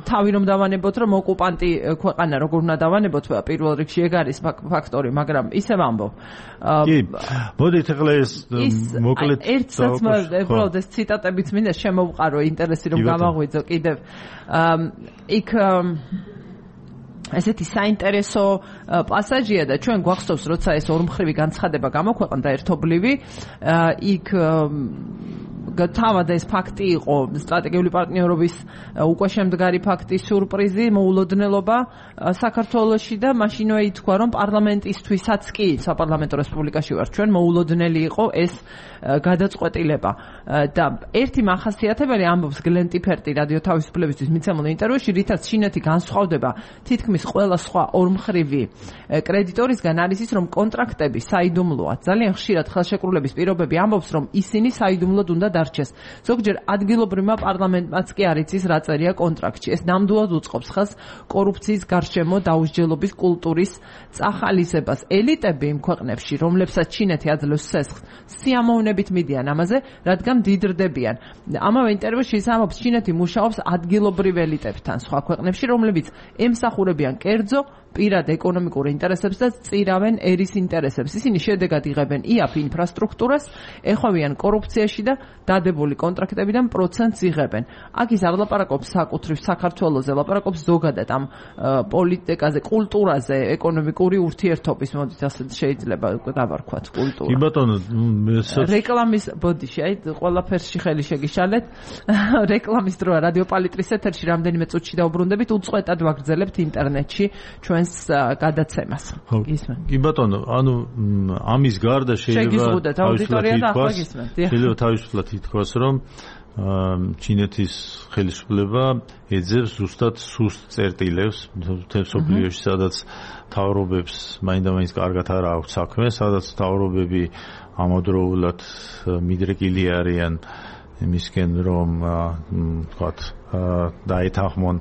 თავი რომ დავანებოთ რომ ოკუპანტი ქვეყანა როგორ უნდა დავანებოთ პირველ რიგში ეგ არის ფაქტორი მაგრამ ისევ ამბობ კი მოდით ახლა ეს მოკლედ ერთსაც უბრალოდ ეს ციტატებიც მინდა შემოვყარო ინტერესი რომ გამაღვიძო კიდევ იქ ესეთი საინტერესო პასაჟია და ჩვენ გვახსოვს როცა ეს ორმხრივი განცხადება გამოქვეყნდა ერთობლივი იქ თავად ეს ფაქტი იყო სტრატეგიული პარტნიორობის უკვე შემდგარი ფაქტი სიურპრიზი მოულოდნელობა საქართველოში და მაშინვე ითქვა რომ პარლამენტისთვისაც კი საპარლამენტო რესპუბლიკაში ვარ ჩვენ მოულოდნელი იყო ეს გადაწყვეტილება და ერთი მახასიათებელი ამბობს გლენ ტიფერტი რადიო თავისუფლებისთვის მიცემულ ინტერვიუში რითაც ჩინეთი განსხვავდება თითქმის ყველა სხვა ორმხრივი კრედიტორისგან არის ის რომ კონტრაქტები საიდუმლოა ძალიან ხშირად ხელშეკრულების პირობები ამბობს რომ ისინი საიდუმლოდ უნდა დარჩეს ზოგჯერ ადგილობრივმა პარლამენტმაც კი არ იცის რა წერია კონტრაქტში ეს ნამდვილად უწყობს ხელს კორუფციის გარშემო დაუსჯელობის კულტურის წახალისებას ელიტები იმ ქვეყნებში რომლებსაც ჩინეთი აძლევს სესხს სიამოვნებით მიდიან ამაზე რადგან დიდრდებიან ამავე ინტერვიუში ის ამბობს ჩინეთი მუშაობს ადგილობრივ ელიტებთან სხვა ქვეყნებში რომლებიც ემსახურებიან კერძო პირად ეკონომიკურ ინტერესებს და წირავენ ერის ინტერესებს. ისინი შედეგად იღებენ იაფ ინფრასტრუქტურას, ეხვევიან კორუფციაში და დადებული კონტრაქტებიდან პროცენტს იღებენ. აქ ის არ ლაპარაკობს საკუთრივ საქართველოზე, ლაპარაკობს ზოგადად ამ პოლიტიკაზე, კულტურაზე, ეკონომიკური ურთიერთობის, მოდით ასე შეიძლება დავარქვათ კულტურა. კი ბატონო, რეკლამის ბოდიში, აი ყველაფერში ხელი შეგიშალეთ. რეკლამის დროა რადიო პალიტრის ეთერში რამდენიმე წუთში დაუბრუნდებით, უწყვეტად ვაგრძელებთ ინტერნეტში ჩვენ გადაცემას. კი ბატონო, ანუ ამის გარდა შეიძლება თავისუფლად ითქვას, რომ ჩინეთის ხელისუფლება ეძებს ზუსტად სუსტ წერტილებს მთელ მსოფლიოში, სადაც მთავრობებს მაინდა-მაინც კარგად არ აქვს საქმე, სადაც მთავრობები ამავდროულად მიდრეკილი არიან იმისკენ რომ თქვათ დაეთანხმონ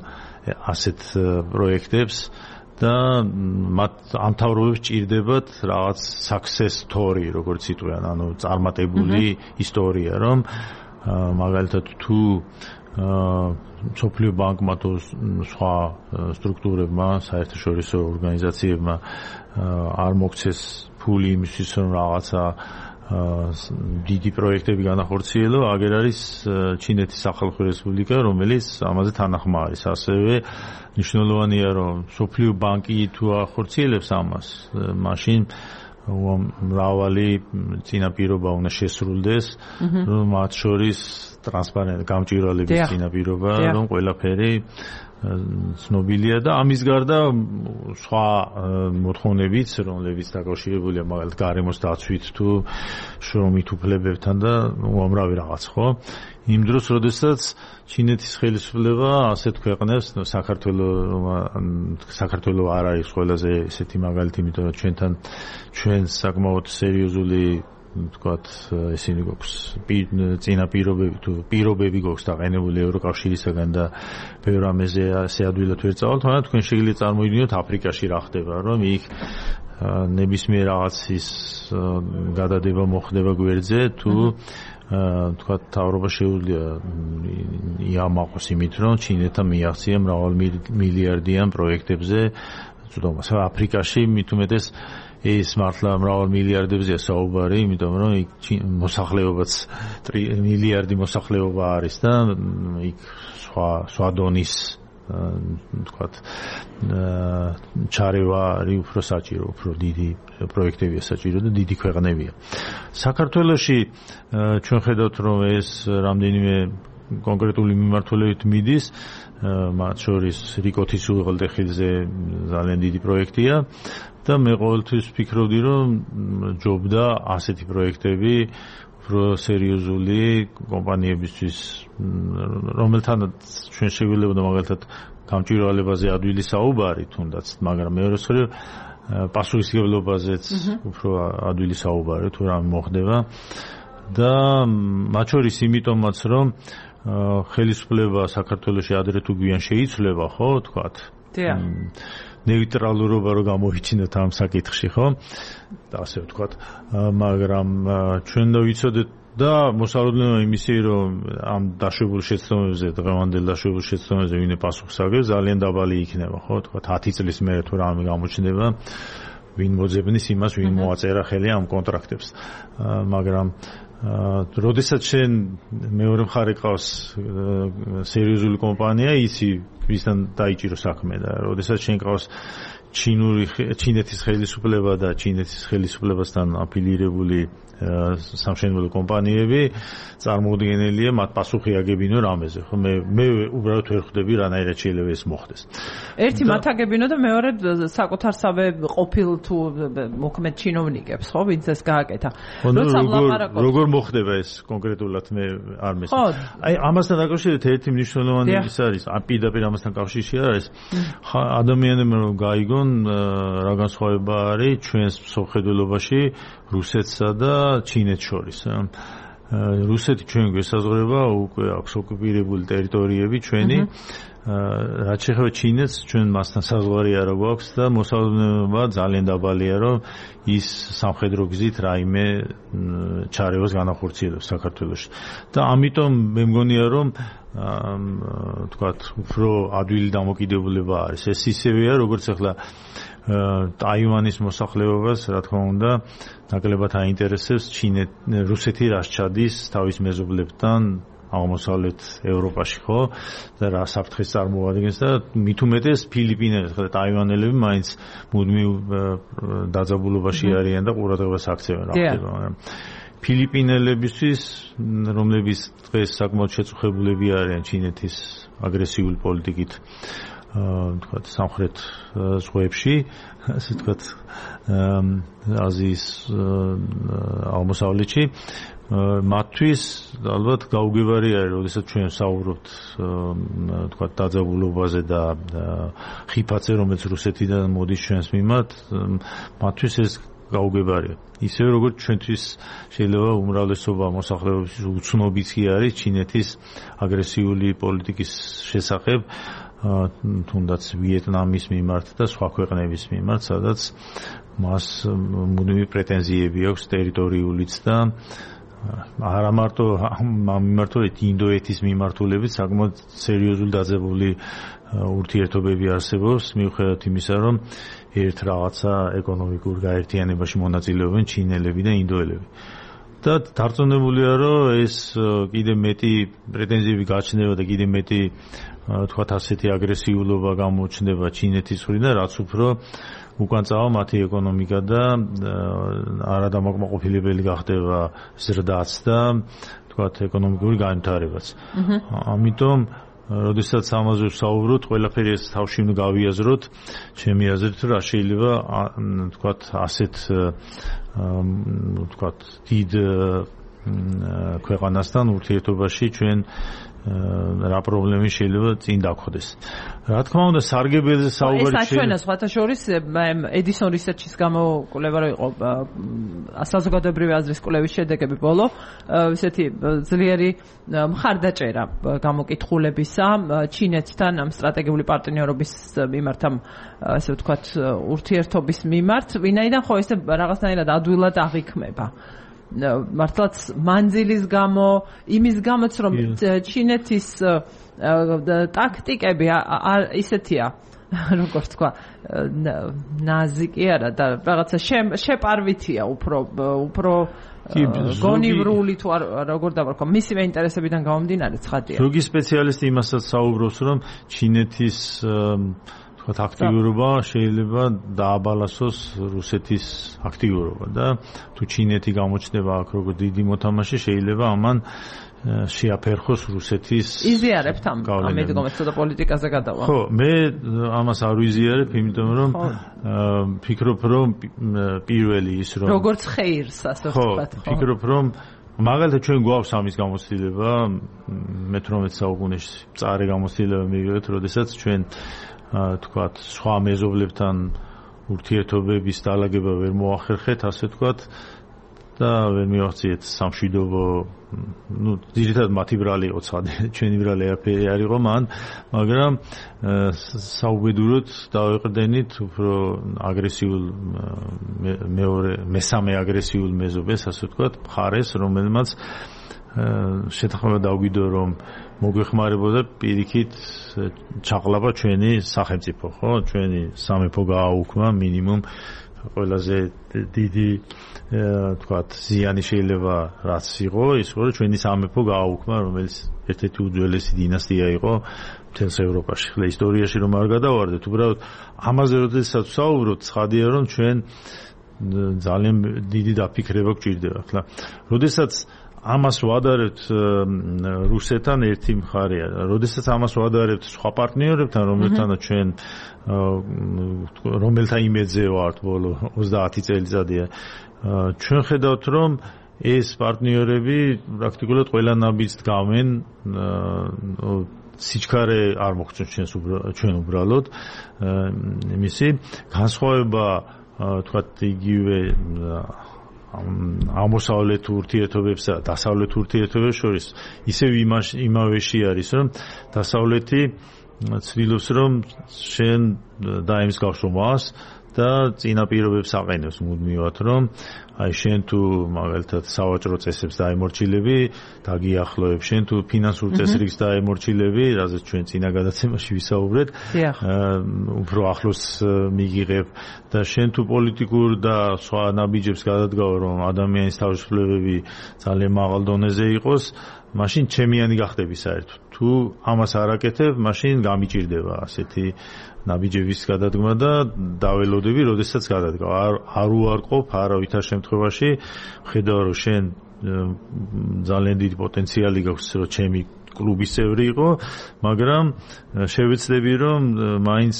ასეთ პროექტებს და მათ ამთავრობებს ჭირდებათ რაღაც success story, როგორც იტყვიან, ანუ წარმატებული ისტორია, რომ მაგალითად თუ სოფლიო ბანკმა თუ სხვა სტრუქტურებმა, საერთაშორისო ორგანიზაციებმა არ მოგცეს ფული იმისთვის, რომ რაღაცა დიდი პროექტები განახორციელო, აგერ არის ჩინეთის სახალხო რესპუბლიკა, რომელიც ამაზე თანახმა არის. ასევე მნიშვნელოვანია, რომ სოფლიო ბანკი თუ ახორციელებს ამას, მაშინ მრავალი წინაპირობა უნდა შესრულდეს, რომ მათ შორის ტრანსპარენტ გამჭვირვალების წინაპირობა, რომ ყველაფერი ცნობილია და ამის გარდა სხვა მოთხოვნებიც, რომლებიც დაკავშირებულია მაგალითად გარემოს დაცვით თუ შრომით უფლებებთან და უამრავი რაღაც, ხო? იმ დროს, როდესაც ჩინეთის ხელისუფლება ასეთ ქვეყნებს, საქართველო არ არის ყველაზე ესეთი მაგალითი, იმიტომ რომ ჩვენ საკმაოდ სერიოზული თქვათ ისინი გვაქვს წინაპირობები თუ პირობები გვაქვს დაყენებული ევროკავშირისაგან და ბევრ ამაზე ასე ადვილად ვერ წავალთ, მაგრამ თქვენ შეგიძლიათ წარმოიდგინოთ აფრიკაში რა ხდება, რომ იქ ნებისმიერ რაღაცის გადადება მოხდება გვერდზე თუ თქვათ თავრობა შეუძლია იამაყოს იმით, რომ ჩინეთთან მიაღწია მრავალმილიარდიან პროექტებზე წვდომას. აფრიკაში მით უმეტეს ეს მართლა მრავალ მილიარდებზეა საუბარი, იმიტომ რომ იქ მოსახლეობაც მილიარდი მოსახლეობა არის და იქ სხვა დონის თქვათ ჩარევა არის უფრო საჭირო, უფრო დიდი პროექტებია საჭირო და დიდი ქვეყნებია. საქართველოში ჩვენ ხედავთ, რომ ეს რამდენიმე კონკრეტული მიმართულებით მიდის, მათ შორის რიკოთის უღელტეხილზე ძალიან დიდი პროექტია და მე ყოველთვის ვფიქრობდი, რომ ჯობდა ასეთი პროექტები უფრო სერიოზული კომპანიებისთვის, რომელთანაც ჩვენ შეგვიძლია მაგალითად გამჭვირვალებაზე ადვილი საუბარი თუნდაც, მაგრამ მეორე მხრივ პასუხისმგებლობაზეც უფრო ადვილი საუბარი თუ რა მოხდება და მათ შორის იმიტომაც, რომ ხელისუფლება საქართველოში ადრე თუ გვიან შეიცვლება, ხო, თქვათ. ნეიტრალურობა რო გამოვიჩინოთ ამ საკითხში, ხო? და ასე ვთქვათ, მაგრამ ჩვენ და ვიცოდეთ და მოსალოდნელია იმისი, რომ ამ დაშვებულ შეცდომებზე, დღევანდელ დაშვებულ შეცდომებზე ვინმე პასუხს აგებს, ძალიან დაბალი იქნება, ხო? თქვათ 10 წლის მერე თუ რამე გამოჩნდება, ვინ მოძებნის იმას, ვინ მოაწერა ხელი ამ კონტრაქტებს. მაგრამ როდესაც შენ მეორე მხარე ყავს სერიოზული კომპანია, იცი ვისთან დაიჭირო საქმე და როდესაც შენ ყავს ჩინეთის ხელისუფლება და ჩინეთის ხელისუფლებასთან აფილირებული სამშენებლო კომპანიები, წარმოუდგენელია მათ პასუხი აგებინო რამეზე, ხო? მე უბრალოდ ვერ ხვდები რანაირად შეიძლება ეს მოხდეს. ერთი მათ აგებინო და მეორე საკუთარსავე ყოფილ თუ მოქმედ ჩინოვნიკებს, ხო, ვინც ეს გააკეთა. როგორ მოხდება ეს კონკრეტულად მე არ მესმის. აი ამასთან დაკავშირებით ერთი მნიშვნელოვანი ის არის, პირდაპირ ამასთან კავშირში არის, ადამიანებმა რომ გაიგონ რა განსხვავება არის ჩვენს მსოფლმხედველობაში რუსეთსა და ჩინეთს შორის. რუსეთი ჩვენ გვესაზღვრება, უკვე აქვს ოკუპირებული ტერიტორიები ჩვენი, რაც შეეხება ჩინეთს, ჩვენ მასთან საზღვარი არ გვაქვს და მოსალოდნელობა ძალიან დაბალია, რომ ის სამხედრო გზით რაიმე ჩარევას განახორციელებს საქართველოში. და ამიტომ მე მგონია, რომ თქვათ, უფრო ადვილი დამოკიდებულება არის. ეს ისევეა, როგორც ახლა ტაივანის მოსახლეობას, რა თქმა უნდა, ნაკლებად აინტერესებს რუსეთი რას ჩადის თავის მეზობლებთან აღმოსავლეთ ევროპაში, ხო? და რა საფრთხეს წარმოადგენს და მით უმეტეს ფილიპინელები, ხო, ტაივანელები მაინც მუდმივ დაძაბულობაში არიან და ყურადღებას აქცევენ რა ხდება, მაგრამ ფილიპინელებისთვის, რომლებიც დღეს საკმაოდ შეწუხებულები არიან ჩინეთის აგრესიული პოლიტიკით, თქვათ, სამხრეთ ზღვებში, ასე თქვათ, აზიის აღმოსავლეთში, მათთვის ალბათ გაუგებარი არის, როდესაც ჩვენ საუბრობთ, თქვათ, დაძაბულობაზე და ხიფათზე, რომელიც რუსეთიდან მოდის ჩვენს მიმართ, მათთვის ეს გაუგებარია. ისევე როგორც ჩვენთვის შეიძლება უმრავლესობა მოსახლეობის უცნობიც კი არის ჩინეთის აგრესიული პოლიტიკის შესახებ, თუნდაც ვიეტნამის მიმართ და სხვა ქვეყნების მიმართ, სადაც მას მუდმივი პრეტენზიები აქვს ტერიტორიულიც და არა მარტო მიმართულებით ინდოეთის მიმართულებით საკმაოდ სერიოზული დაძაბული ურთიერთობები არსებობს მიუხედავად იმისა, რომ ერთ რაღაცა ეკონომიკურ გაერთიანებაში მონაწილეობენ ჩინელები და ინდოელები. და დარწმუნებულია, რომ ეს კიდე მეტი პრეტენზიები გაჩნდება და კიდე მეტი თქვათ ასეთი აგრესიულობა გამოჩნდება ჩინეთის მხრიდან, რაც უფრო უკან წავა მათი ეკონომიკა და არადამაკმაყოფილებელი გახდება ზრდაც და თქვათ ეკონომიკური განვითარებაც. ამიტომ როდესაც ამაზე ვსაუბრობთ, ყველაფერი ეს თავში უნდა გავიაზროთ, ჩემი აზრით, რა შეიძლება თქვათ ასეთ თქვათ დიდ ქვეყანასთან ურთიერთობაში ჩვენ რა პრობლემები შეიძლება წინ დაგხვდეს. რა თქმა უნდა, სარგებელზე საუბარი ეს აჩვენა სხვათა შორის Edison Research-ის გამოკვლევა რო იყო საზოგადოებრივი აზრის კვლევის შედეგები ბოლო, ესეთი ძლიერი მხარდაჭერა გამოკითხულებისა ჩინეთთან ამ სტრატეგიული პარტნიორობის მიმართ, ამ ასე ვთქვათ ურთიერთობის მიმართ, ვინაიდან ხო ესე რაღაცნაირად ადვილად აღიქმება. მართლაც მანძილის გამო, იმის გამოც რომ ჩინეთის ტაქტიკები ისეთია, როგორც თქვა, ნაზიკი არა და რაღაცა შეპარვითია უფრო გონივრული თუ როგორ დავარქვა, მისივე ინტერესებიდან გამომდინარე ცხადია. ზოგი სპეციალისტი იმასაც საუბრობს, რომ ჩინეთის თქვათ აქტიურობა შეიძლება დააბალანსოს რუსეთის აქტიურობა და თუ ჩინეთი გამოჩნდება აქ როგორც დიდი მოთამაშე, შეიძლება ამან შეაფერხოს რუსეთის იზიარებთ ამ მიდგომას და პოლიტიკაზე გადავა. ხო, მე ამას არ ვიზიარებ, იმიტომ რომ ფიქრობ, რომ პირველი ის რომ როგორც ხეირს, ასე ვთქვათ, ხო, ფიქრობ, რომ მაგალითად ჩვენ გვაქვს ამის გამოცდილება 18 საუკუნეში წარე გამოცდილება მივიღეთ, როდესაც ჩვენ თქვათ სხვა მეზობლებთან ურთიერთობების დაალაგება ვერ მოახერხეთ, ასე თქვათ და ვერ მივახციეთ სამშვიდობო, ძირითადად მათი ბრალი იყო ცხადია, ჩვენი ბრალი არაფერი არ იყო მან, მაგრამ საუბედუროდ დავეყრდენით უფრო აგრესიულ მესამე აგრესიულ მეზობელს, ასე თქვათ, მხარეს, რომელმაც შეთანხმება დაგვიდო, რომ მოგვეხმარებოდა პირიქით ჩაყლაპა ჩვენი სახელმწიფო, ხო? ჩვენი სამეფო გააუქმა მინიმუმ ყველაზე დიდი თქვათ ზიანი შეიძლება რაც იყო, ის იყო რომ ჩვენი სამეფო გააუქმა, რომელიც ერთ-ერთი უძველესი დინასტია იყო მთელს ევროპაში. ხლა ისტორიაში რომ არ გადავარდეთ, უბრალოდ ამაზე როდესაც ვსაუბრობთ, ცხადია რომ ჩვენ ძალიან დიდი დაფიქრება გვჭირდება. ხლა როდესაც ამას ვადარებთ რუსეთთან ერთი მხარეა. როდესაც ამას ვადარებთ სხვა პარტნიორებთან, რომელთანაც ჩვენ რომელთა იმედზე ვართ ბოლო 30 წელიწადია, ჩვენ ხედავთ, რომ ეს პარტნიორები პრაქტიკულად ყველა ნაბიჯს დგამენ, სიჩქარე არ მოხდეთ ჩვენ უბრალოდ იმისი განსხვავება თქვათ იგივე აღმოსავლეთ ურთიერთობებსა და დასავლეთ ურთიერთობებს შორის ისევ იმავეში არის, რომ დასავლეთი ცდილობს, რომ შენ დაემსგავსო მას და წინა პირობებს აყენებს მუდმივად, რომ აი შენ თუ მაგალითად სავაჭრო წესებს დაემორჩილები, დაგიახლოებ, შენ თუ ფინანსურ წესრიგს დაემორჩილები, რაზეც ჩვენ წინა გადაცემაში ვისაუბრეთ, უფრო ახლოს მიგიღებ და შენ თუ პოლიტიკურ და სხვა ნაბიჯებს გადადგავ, რომ ადამიანის თავისუფლებები ძალიან მაღალ დონეზე იყოს, მაშინ ჩემიანი გახდები საერთოდ. თუ ამას არ აკეთებ, მაშინ გამიჭირდება ასეთი ნაბიჯების გადადგმა და დაველოდები, როდესაც გადადგავ. არ უარყოფ არავითარ შემთხვევაში, ხედავ რომ შენ ძალიან დიდი პოტენციალი გაქვს, რომ ჩემი კლუბის წევრი იყო, მაგრამ შევეცდები, რომ მაინც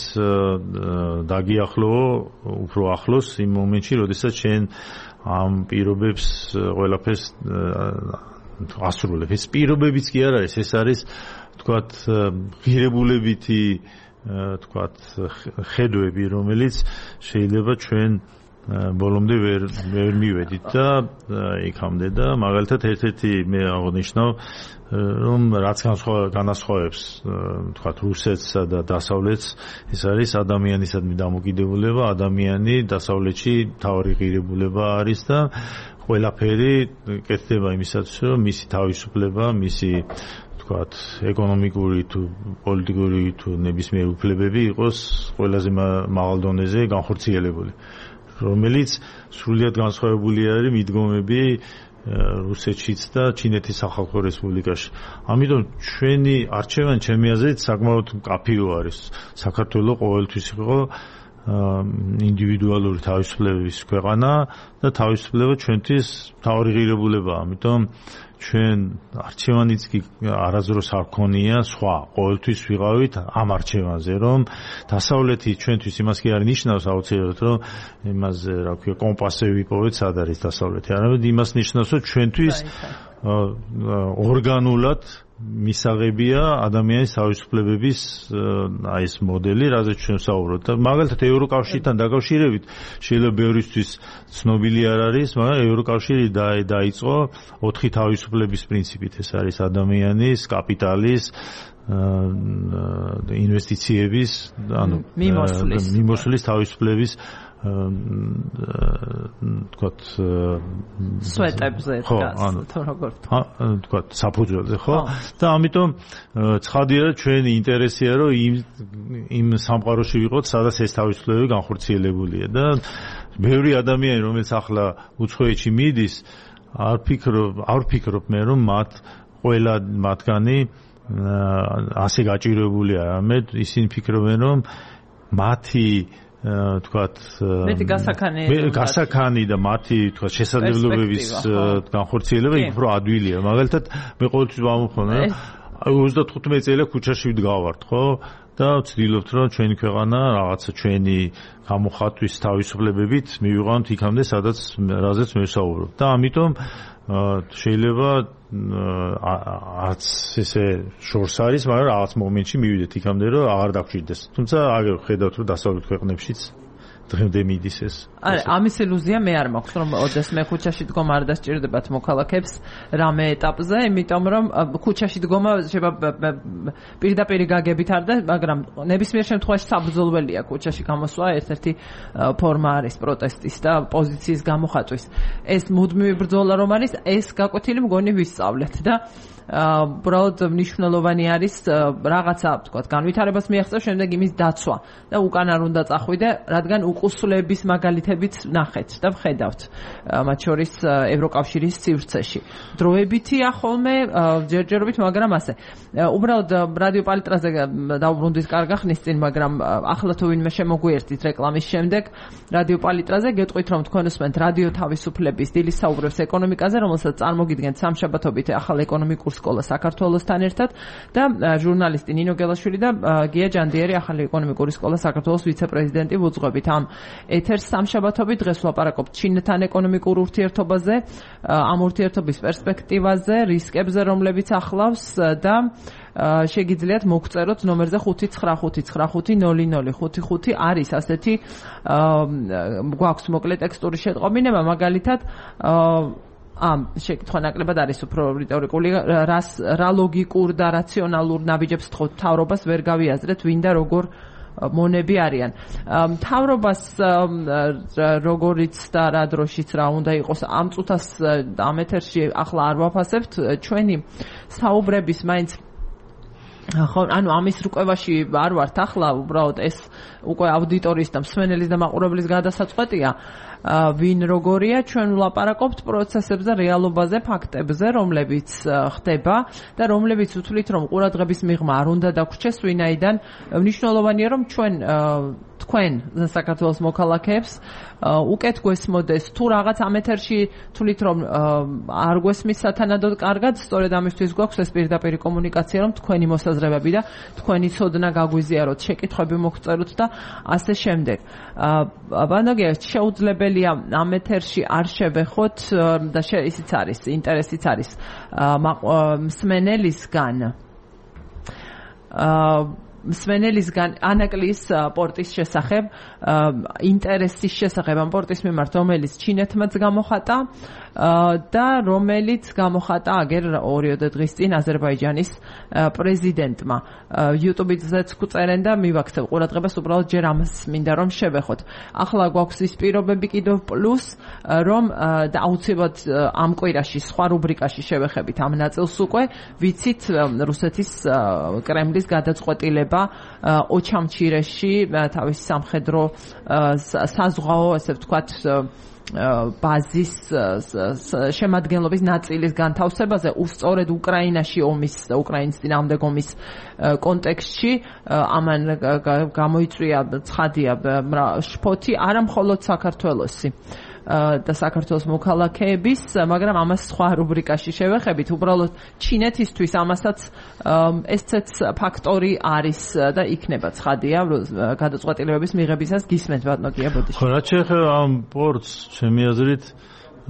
დაგიახლოვო უფრო ახლოს იმ მომენტში, როდესაც შენ ამ პირობებს ყველაფერს ასრულებ. ეს პირობებიც კი არ არის, ეს არის თქვათ ღირებულებითი თქვათ ხედვები, რომელიც შეიძლება ჩვენ ბოლომდე ვერ მივედით და იქამდე და მაგალითად ერთ-ერთი მე აღნიშნავ რომ რაც განასხვავებს თქვათ რუსეთსა და დასავლეთს ეს არის ადამიანისადმი დამოკიდებულება ადამიანი დასავლეთში თავი ღირებულება არის და ყველაფერი კეთდება იმისათვის რომ მისი თავისუფლება მისი თქვათ ეკონომიკური თუ პოლიტიკური თუ ნებისმიერ უფლებები იყოს ყველაზე მაღალ დონეზე განხორციელებული რომელიც სრულიად განსხვავებული არის მიდგომები რუსეთშიც და ჩინეთის სახალხო რესპუბლიკაში. ამიტომ ჩვენი არჩევანი ჩემი აზრით საკმაოდ მკაფიო არის. საქართველოს ყოველთვის იყო ინდივიდუალური თავისუფლების ქვეყანა და თავისუფლება ჩვენთვის მთავარი ღირებულებაა. ამიტომ ჩვენ არჩევანიც კი არასდროს არ ქონია სხვა ყოველთვის ვიყავით ამ არჩევანზე რომ დასავლეთი ჩვენთვის იმას კი არ ნიშნავს აუცილებლად რომ იმაზე რა ქვია კომპასზე ვიპოვეთ სად არის დასავლეთი არამედ იმას ნიშნავს რომ ჩვენთვის ორგანულად მისაღებია ადამიანის თავისუფლებების აი ეს მოდელი, რაზეც ჩვენ ვსაუბრობთ. მაგალითად ევროკავშირთან დაკავშირებით შეიძლება ბევრისთვის ცნობილი არ არის, მაგრამ ევროკავშირი დაიწყო 4 თავისუფლების პრინციპით. ეს არის ადამიანის, კაპიტალის, ინვესტიციების, ანუ მიმოსვლის თავისუფლების თქვათ სვეტებზე დგას თუ როგორ თქვათ საფუძველზე ხო და ამიტომ ცხადია რომ ჩვენი ინტერესია რომ იმ სამყაროში ვიყოთ სადაც ეს თავისუფლებები განხორციელებულია და ბევრი ადამიანი რომელიც ახლა უცხოეთში მიდის არ ვფიქრობ მე რომ ყველა მათგანი ასე გაჭირებულია არამედ ისინი ფიქრობენ რომ მათი თქვათ გასაქანი და მათი თქვათ შესაძლებლობების განხორციელება იქ უფრო ადვილია. მაგალითად მე ყოველთვის ვამოხმობ 35 წელი ქუჩაში ვდგავართ, ხო? და ვცდილობთ რომ ჩვენი ქვეყანა რაღაცა ჩვენი გამოხატვის თავისუფლებებით მივიყვანოთ იქამდე, სადაც რაზეც მე ვსაუბრობ. და ამიტომ შეიძლება არც ესე შორს არის, მაგრამ რაღაც მომენტში მივიდეთ იქამდე, რომ აღარ დაგჭირდეს. თუმცა აგერ ხედავთ, რომ დასავლეთ ქვეყნებშიც დღემდე მიდის ეს. არა, ამის ილუზია მე არ მაქვს, რომ ოდეს მე ქუჩაში დგომ არ დასჭირდებათ მოქალაქეებს რამე ეტაპზე, იმიტომ რომ ქუჩაში დგომა შეიძლება პირდაპირ გაგებით არ და, მაგრამ ნებისმიერ შემთხვევაში საბრძოლველია ქუჩაში გამოსვლა, ერთ-ერთი ფორმა არის პროტესტის და პოზიციის გამოხატვის. ეს მუდმივი ბრძოლა რომ არის, ეს გაკვეთილი მგონი ვისწავლეთ და უბრალოდ მნიშვნელოვანი არის რაღაცა, თქვათ, განვითარებას მიაღწევ, შემდეგ იმის დაცვა და უკან არ უნდა წახვიდე, რადგან უკუსლების მაგალითებიც ნახეთ და ვხედავთ, მათ შორის ევროკავშირის სივრცეში. დროებითია ხოლმე, ჯერჯერობით, მაგრამ ასე. უბრალოდ რადიო პალიტრაზე დავბრუნდით კარგა ხნის წინ, მაგრამ ახლა თუ ვინმე შემოგვიერთით რეკლამის შემდეგ, რადიო პალიტრაზე გეტყვით, რომ თქვენ უსმენთ რადიო თავისუფლების დილის საუბრებს ეკონომიკაზე, რომელსაც წარმოგიდგენთ სამშაბათობით ახალ ეკონომიკურ სკოლა საქართველოსთან ერთად და ჟურნალისტი ნინო გელაშვილი და გია ჯანდიერი ახალი ეკონომიკური სკოლა საქართველოს ვიცე-პრეზიდენტი ვუძღვებით ამ ეთერს სამშაბათობით. დღეს ვლაპარაკობთ ჩინეთთან ეკონომიკურ ურთიერთობაზე, ამ ურთიერთობის პერსპექტივაზე, რისკებზე, რომლებიც ახლავს და შეგიძლიათ მოგწეროთ ნომერზე 595500555 არის ასეთი გვაქვს მოკლე ტექსტური შეტყობინება, მაგალითად ამ შეკითხვა ნაკლებად არის უფრო რიტორიკული, რა ლოგიკურ და რაციონალურ ნაბიჯებს თხოვთ მთავრობას, ვერ გავიაზრეთ ვინ და როგორ მონები არიან. მთავრობას როგორიც და რა დროშიც რა უნდა იყოს ამ წუთას ამ ეთერში ახლა არ ვაფასებთ, ჩვენი საუბრების მაინც ხო, ანუ ამის რუკევაში არ ვართ ახლა, უბრალოდ ეს უკვე აუდიტორიის და მსმენელის და მაყურებლის გადასაწყვეტია. ვინ როგორია, ჩვენ ვლაპარაკობთ პროცესებზე, რეალობაზე, ფაქტებზე, რომლებიც ხდება და რომლებიც უთვლით, რომ ყურადღების მიღმა არ უნდა დაგვრჩეს, ვინაიდან მნიშვნელოვანია, რომ თქვენ საქართველოს მოქალაქეებს უკეთ გვესმოდეს თუ რაღაც ამ ეთერში თვლით, რომ არ გვესმის სათანადოდ კარგად, სწორედ ამისთვის გვაქვს ეს პირდაპირი კომუნიკაცია, რომ თქვენი მოსაზრებები და თქვენი ცოდნა გაგვიზიაროთ, შეკითხვები მოგწეროთ და ასე შემდეგ. ბანოგია, შეუძლებელია ამ ეთერში არ შევეხოთ და ისიც არის, ინტერესიც არის მსმენელისგან. მსმენელისგან ანაკლის პორტის შესახებ, ინტერესის შესახებ ამ პორტის მიმართ, რომელიც ჩინეთმაც გამოხატა და რომელიც გამოხატა აგერ 2 დღის წინ აზერბაიჯანის პრეზიდენტმა. YouTube-ზეც გვწერენ და მივაქცევ ყურადღებას, უბრალოდ ჯერ ამას მინდა რომ შევეხოთ. ახლა გვაქვს ის პირობები კიდევ პლუს რომ და აუცილებლად ამ კვირაში სხვა რუბრიკაში შევეხებით ამ ნაწილს უკვე ვიცით რუსეთის კრემლის გადაწყვეტილება ოჩამჩირეში თავის სამხედრო საზღვაო ასე ვთქვათ ბაზის შემადგენლობის ნაწილის განთავსებაზე უსწორედ უკრაინაში უკრაინის წინააღმდეგ ომის კონტექსტში ამან გამოიწვია ცხადია შფოთი არა მხოლოდ საქართველოსი და საქართველოს მოქალაქეების, მაგრამ ამას სხვა რუბრიკაში შევეხებით. უბრალოდ ჩინეთისთვის ამასაც ესეც ფაქტორი არის და იქნება ცხადია გადაწყვეტილებების მიღებისას გისმენთ ბატონო გიაბოდიში. ხო, რაც შეეხება ამ პორტს, ჩემი აზრით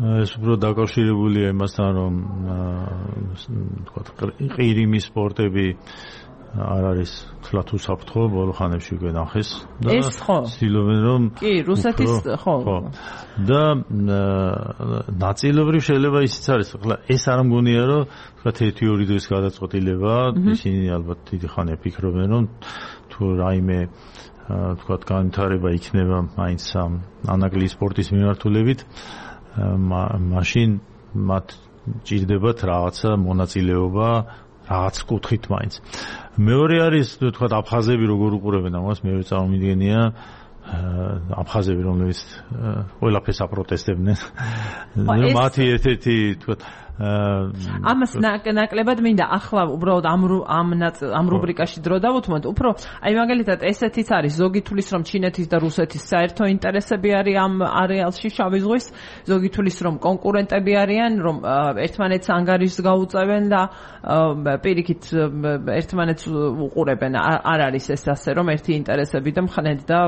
ეს უფრო დაკავშირებულია იმასთან, რომ თქვა ყირიმის პორტები არ არის თლათ უსაფრთხო ბოლო ხანებში უკვე ნახეს და ცდილობენ რომ კი რუსეთის ხო და ნაწილობრივ შეიძლება ისიც არის ახლა ეს არ მგონია რომ თქვა 1-2 დღის გადაწყვეტილება ისინი ალბათ დიდი ხანია ფიქრობენ რომ თუ რაიმე თქვა განვითარება იქნება მაინც ანაკლის სპორტის მიმართულებით მაშინ მათ ჭირდებათ რაღაცა მონაწილეობა რაღაც კუთხით მაინც. მეორე არის თქვა აფხაზები როგორ უყურებენ ამას, მე წარმოვიდგენია აფხაზები რომლებიც ყველაფერს აპროტესტებდნენ. მათი ერთ-ერთი თქვა ამას ნაკლებად მინდა ახლა უბრალოდ ამ რუბრიკაში დრო დავუთმოთ უფრო აი მაგალითად ესეთიც არის ზოგი თulis რომ ჩინეთის და რუსეთის საერთო ინტერესები არის ამ არეალში შავი ზღვის ზოგი თulis რომ კონკურენტები არიან რომ ერთმანეთს ანგარიშს გაუწევენ და პირიქით ერთმანეთს უყურებენ არ არის ეს ასე რომ ერთი ინტერესები და მხნედ და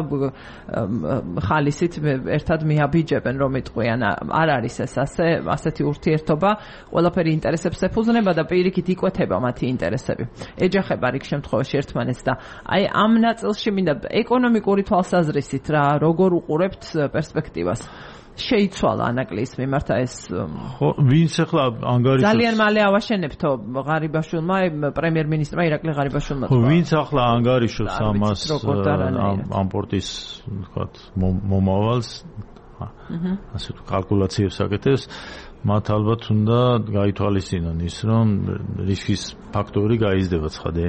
ხალისით ერთად მიაბიჯებენ რომ იტყვიან არ არის ეს ასეთი ურთიერთობა ყველაფერი ინტერესებს ეფუძნება და პირიქით იკვეთება მათი ინტერესები. ეჯახება რიგ შემთხვევაში ერთმანეთს და აი ამ ნაწილში მინდა ეკონომიკური თვალსაზრისით რა როგორ უყურებთ პერსპექტივას. შეიცვალა ანაკლის მიმართ ეს ხო ვინც ახლა ანგარიშს ძალიან მალე ავაშენებთო ღარიბაშვილმა პრემიერ-მინისტრმა ირაკლი ღარიბაშვილმა ხო ვინც ახლა ანგარიშობს ამას ამ პორტის ვთქვათ მომავალს ასე კალკულაციებს აკეთებს მათ ალბათ უნდა გაითვალისწინონ ის რომ რისკის ფაქტორი გაიზრდება ცხადე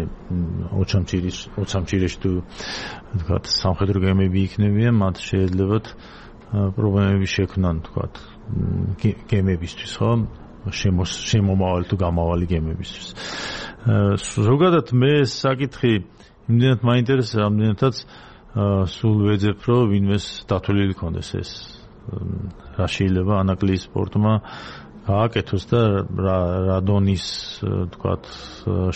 ოჩამჩირეში თუ ვთქვათ სამხედრო გემები იქნებიან მათ შეეძლებათ პრობლემები შექმნან ვთქვათ გემებისთვის ხო შემომავალი თუ გამავალი გემებისთვის ზოგადად მე საკითხი იმდენად მაინტერესებს ამდენადაც სულ ვეძებ რომ ვინმეს დათვლილი ქონდეს ეს რა შეიძლება ანაკლის სპორტმა გააკეთოს და რა დონის ვთქვათ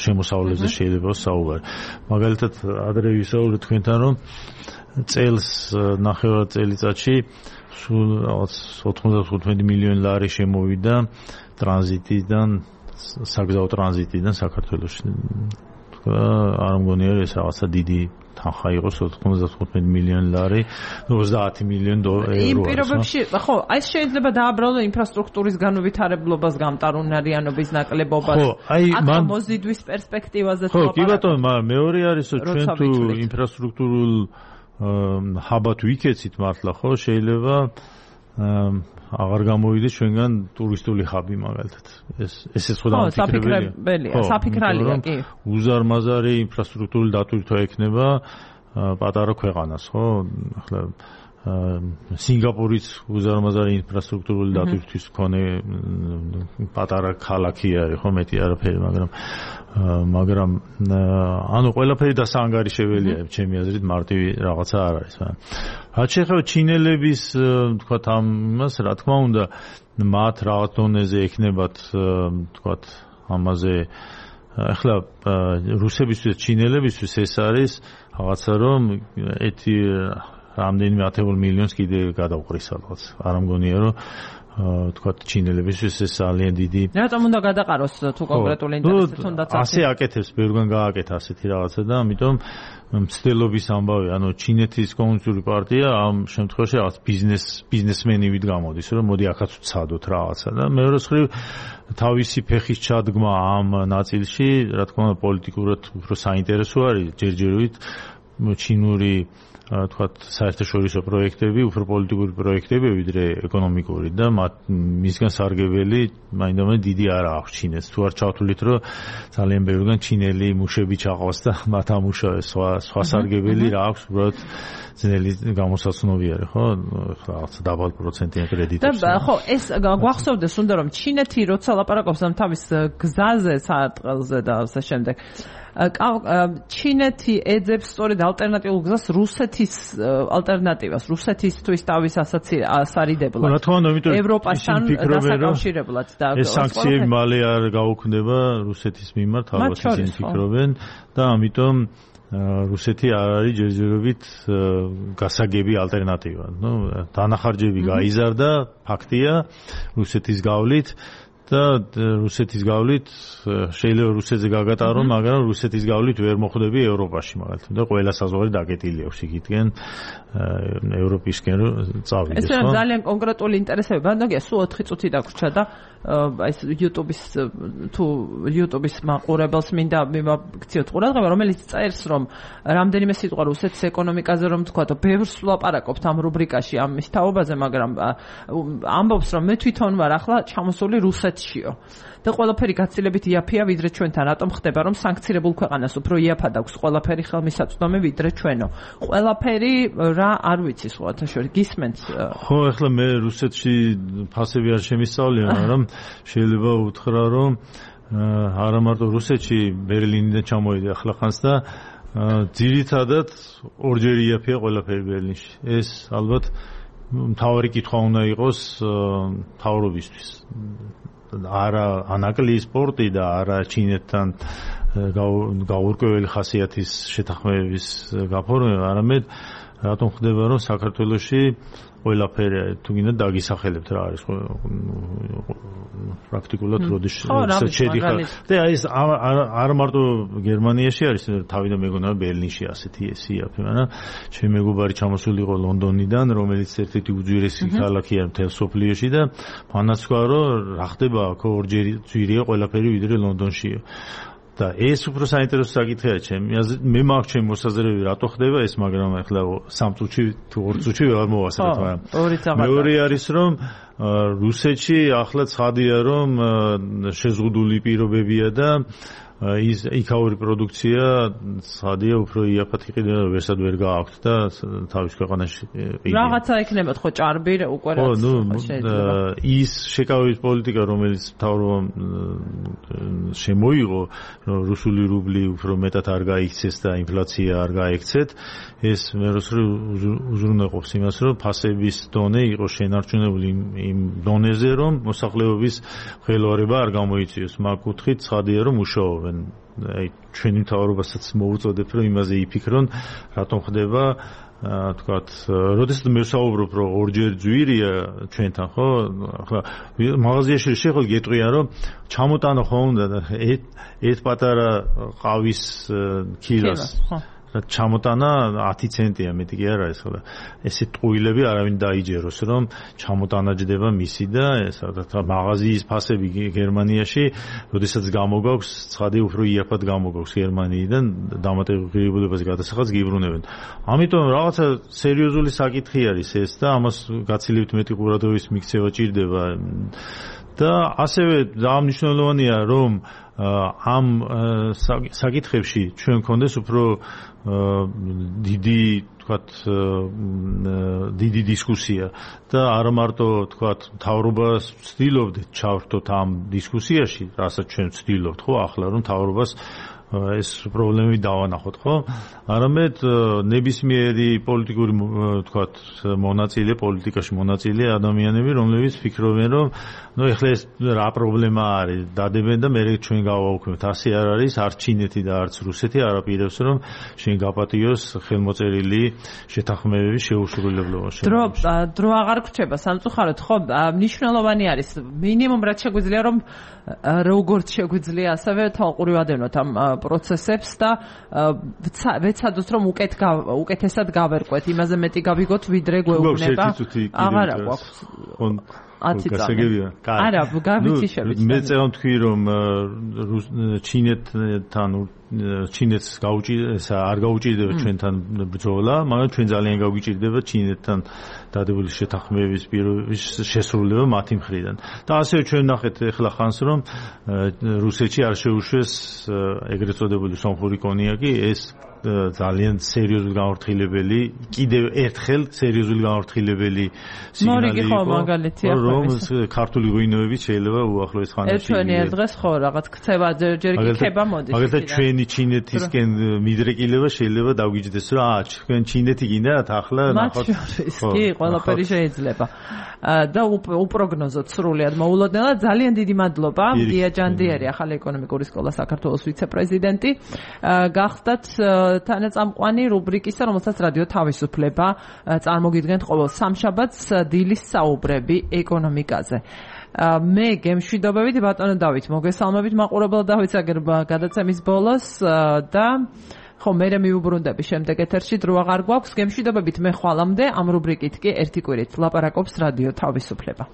შემოსავლებზე შეიძლება საუბარი. მაგალითად ადრე ვისაუბრეთ თქვენთან რომ წელს ნახევარ წელიწადში სულ რაღაც 95 მილიონი ლარი შემოვიდა ტრანზიტიდან საგზაო ტრანზიტიდან საქართველოში. არ მგონია ეს რაღაცა დიდი თანხა იყოს 95 მილიონი ლარი 30 მილიონი ევრო. იმ პირობებში ხო აი შეიძლება დააბრალო ინფრასტრუქტურის განვითარებლობას გამტარუნარიანობის ნაკლებობას აქ მოზიდვის პერსპექტივაზე ხო კი ბატონო მეორე არის რომ ჩვენ თუ ინფრასტრუქტურულ ჰაბად ვიქეცით მართლა ხო შეიძლება აღარ გამოვიდეს ჩვენგან ტურისტული ჰაბი მაგალითად ესეც ხო დამფიქრებელია საფიქრალია კი უზარმაზარი ინფრასტრუქტურული დატვირთვა ექნება პატარა ქვეყანას ხო ახლა სინგაპურიც უზარმაზარი ინფრასტრუქტურული დატვირთვის მქონე პატარა ქალაქი არის ხო მეტი არაფერი მაგრამ ანუ ყველაფერი დასაანგარიშებელია ჩემი აზრით მარტივი რაღაცა არ არის რაც შეეხება ჩინელების თქვათ ამას რა თქმა უნდა მათ რაღაც დონეზე ექნებათ თქვათ ამაზე ახლა რუსებისთვის ჩინელებისთვის ეს არის რაღაცა რომ ეთი რამდენიმე ათეულ მილიონს კიდე გადავყრის რაღაც. არ მგონია რომ თქვათ ჩინელებისთვის ეს ძალიან დიდი რატომ უნდა გადაყაროს თუ კონკრეტული ინტერესი თუნდაც ასე აკეთებს ბევრგან გააკეთა ასეთი რაღაცა და ამიტომ მცდელობის ამბავი ანუ ჩინეთის კომუნისტური პარტია ამ შემთხვევაში რაღაც ბიზნესმენივით გამოდის რომ მოდი აქაც ვცადოთ რაღაცა და მეორე მხრივ თავისი ფეხის ჩადგმა ამ ნაწილში რა თქმა უნდა პოლიტიკურად უფრო საინტერესო არის ჯერჯერობით ჩინური თქვათ საერთაშორისო პროექტები, უფრო პოლიტიკური პროექტები ვიდრე ეკონომიკური და მისგან სარგებელი მაინდამაინც დიდი არ აქვს ჩინეთს. თუ არ ჩავთვლით, რომ ძალიან ბევრგან ჩინელი მუშები ჩაყავს და მათ ამუშავეს სხვა სარგებელი რა აქვს, უბრალოდ ძნელი გამოსაცნობი არის, ხო? რაღაც დაბალ პროცენტიან კრედიტებს. და ხო, ეს გვახსოვდეს უნდა რომ ჩინეთი როცა ლაპარაკობს ამ თავის გზაზე, საარტყელზე და ასე შემდეგ ჩინეთი ეძებს სწორედ ალტერნატიულ გზას რუსეთის ალტერნატივას, რუსეთისთვის თავის ასარიდებლად. რა თქმა უნდა, იმიტომ ევროპასთან დასაკავშირებლად და ეს სანქციები მალე არ გაუქმდება რუსეთის მიმართ, ალბათ ისინი ფიქრობენ და ამიტომ რუსეთი არ არის ჯერჯერობით გასაგები ალტერნატივა. ნუ დანახარჯები გაიზარდა, ფაქტია, რუსეთის გავლით და რუსეთის გავლით შეიძლება რუსეთზე გაგატარო, მაგრამ რუსეთის გავლით ვერ მოხვდები ევროპაში მაგალითად და ყველა საზღვარი დაკეტილი აქვს იქითკენ ევროპისკენ წავიდეს. ეს ძალიან კონკრეტული ინტერესები, ბანდაგია სულ 4 წუთი დაგვრჩა და ეს YouTube-ის მაყურებელს მინდა მივაქციოთ ყურადღება, რომელიც წერს რომ რამდენიმე სიტყვა რუსეთის ეკონომიკაზე რომ თქვათ, ბევრს ვლაპარაკობთ ამ რუბრიკაში ამის თაობაზე, მაგრამ ამბობს რომ მე თვითონ ვარ ახლა ჩამოსული რუსეთშიო. და ყველაფერი გაცილებით იაფია ვიდრე ჩვენთან, რატომ ხდება რომ სანქცირებულ ქვეყანას უფრო იაფად აქვს ყველაფერი ხელმისაწვდომი ვიდრე ჩვენო. ყველაფერი რა არ ვიცი სხვათა შორის გისმენთ. ხო, ახლა მე რუსეთში ფასები არ შემისწავლია, მაგრამ შეიძლება უთხრა რომ არა მარტო რუსეთში ბერლინიდან ჩამოვიდა ახლახანს და ძირითადად ორჯერ იაფია ყველაფერი ბერლინში. ეს ალბათ მთავარი კითხვა უნდა იყოს მთავრობისთვის. არა ანაკლიის სპორტი და არა ჩინეთთან გაურკვეველი ხასიათის შეთანხმებების გაფორმება, არამედ რატომ ხდება რომ საქართველოში ყველაფერი თუ გინდა დაგისახელებთ რა არის პრაქტიკულად როდის შედიხარ და ეს არ მარტო გერმანიაში არის თავიდან მეგონა ბერლინში ასეთი ესიაფი მაგრამ ჩემი მეგობარი ჩამოსული იყო ლონდონიდან რომელიც ერთ-ერთი უძვირესი ქალაქია მთელ სოფლიოში და მანაც თქვა რომ რა ხდება აქ ორჯერ ძვირია ყველაფერი ვიდრე ლონდონშია და ეს უფრო საინტერესო საკითხია ჩემი აზრით მე მაქვს ჩემი მოსაზრებები რატო ხდება ეს მაგრამ ახლა 3 წუთში თუ 2 წუთში ვერ მოვასწრებ მაგრამ მეორე არის რომ რუსეთში ახლა ცხადია რომ შეზღუდული პირობებია და ის იქაური პროდუქცია ცხადია უფრო იაფად იყიდება ვერსად ვერ გააქვთ და თავის ქვეყანაში რაღაცა ექნებათ ხო ჭარბი უკვე რაც შეიძლება ის შეკავების პოლიტიკა რომელიც მთავრობამ შემოიღო რომ რუსული რუბლი უფრო მეტად არ გაიქცეს და ინფლაცია არ გაექცეთ ეს მეროსრი უზრუნველყოფს იმას რომ ფასების დონე იყოს შენარჩუნებული იმ დონეზე რომ მოსახლეობის ხელოვნება არ გამოიწვიოს მაგ კუთხით ცხადია რომ მუშაობენ აი ჩვენი მთავრობასაც მოუწოდებ რომ იმაზე იფიქრონ რატომ ხდება თქვათ როდესაც მე ვსაუბრობ რომ ორჯერ ძვირია ჩვენთან ხო ახლა მაღაზიაში შეხვალ გეტყვიან რომ ჩამოტანო ხო უნდა და ერთ პატარა ყავის კილოს ჩამოტანა 10 ცენტია მეტი კი არ არის ხოლმე ესე ტყუილები არავინ დაიჯეროს რომ ჩამოტანა მისი და ეს მაღაზიის ფასები გერმანიაში როდესაც გამოგაქვს ცხადი უფრო იაფად გამოგაქვს გერმანიიდან დამატებულებაზე გადასახადს გიბრუნებენ ამიტომ რაღაცა სერიოზული საკითხი არის ეს და ამას გაცილებით მეტი ყურადღების მიქცევა ჭირდება და ასევე დაამნიშნელოვანია რომ ამ საკითხებში ჩვენ გქონდეს უფრო დიდი თქვათ დიდი დისკუსია და არა მარტო თქვათ მთავრობას ვცდილობდით ჩავრთოთ ამ დისკუსიაში, რასაც ჩვენ ვცდილობთ ხო ახლა რომ მთავრობას ეს პრობლემები დავანახოთ, ხო? არამედ ნებისმიერი პოლიტიკური თქვათ მონაწილე, პოლიტიკაში მონაწილე ადამიანები, რომლებიც ფიქრობენ, რომ ეხლა ეს რა პრობლემა არის, დადებენ და მე ჩვენ გავაუქმებთ. ასე არ არის, არც ჩინეთი და არც რუსეთი არ აპირებს, რომ შენ გაპატიოს ხელმოწერილი შეთანხმებების შეუსრულებლობაში. დრო აღარ გრჩება სამწუხაროდ, ხო? მნიშვნელოვანი არის მინიმუმ რაც შეგვიძლია, რომ როგორც შეგვიძლია ასევე თვალყურივადევნოთ ამ პროცესებს და ვეცადოთ რომ უკეთესად გავერკვეთ, იმაზე მეტი გავიგოთ ვიდრე გვეუბნება. აღარა გვაქვს 10 წელი. არა, გავიციშებით. მე წევან თქვი რომ ჩინეთთან ჩინეთს არ გაუჭირდება ჩვენთან ბრძოლა, მაგრამ ჩვენ ძალიან გაგვიჭირდება ჩინეთთან დადებული შეთანხმების შესრულება მათი მხრიდან. და ასევე ჩვენ ნახეთ ახლა ხანს რომ რუსეთში არ შეუშვეს ეგრეთ წოდებული სომხური კონიაკი, ეს ძალიან სერიოზული გამორთილებელი, კიდევ ერთხელ სერიოზული გამორთილებელი სიგნალი იყო, რომ ქართული ღვინოებით შეიძლება უახლოეს ხანაში ერთვენი ერთ დღეს ხო რაღაც ქცევა ჯერ კი ქება მოდის. მაგალითად ჩვენი ჩინეთისკენ მიდრეკილება შეიძლება დაგვიჯდეს, რომ ჩვენ ჩინეთი გინდათ ახლა ნახოთ. კი, ყველაფერი შეიძლება. და უპროგნოზოთ სრულიად მოულოდნელად. ძალიან დიდი მადლობა დია ჯანდიერი, ახალი ეკონომიკური სკოლა საქართველოს ვიცე-პრეზიდენტი. გახდათ თანაწამყვანი რუბრიკისა, რომელსაც რადიო თავისუფლება წარმოგიდგენთ ყოველ სამშაბათს, დილის საუბრები ეკონომიკაზე. მე გემშვიდობებით ბატონო დავით, მოგესალმებით მაყურებელ დავით გადაცემის ბოლოს და ხო მე მივუბრუნდები შემდეგ ეთერში, დრო აღარ გვაქვს. გემშვიდობებით მე ხვალამდე ამ რუბრიკით კი ერთი კვირით ლაპარაკობს რადიო თავისუფლება.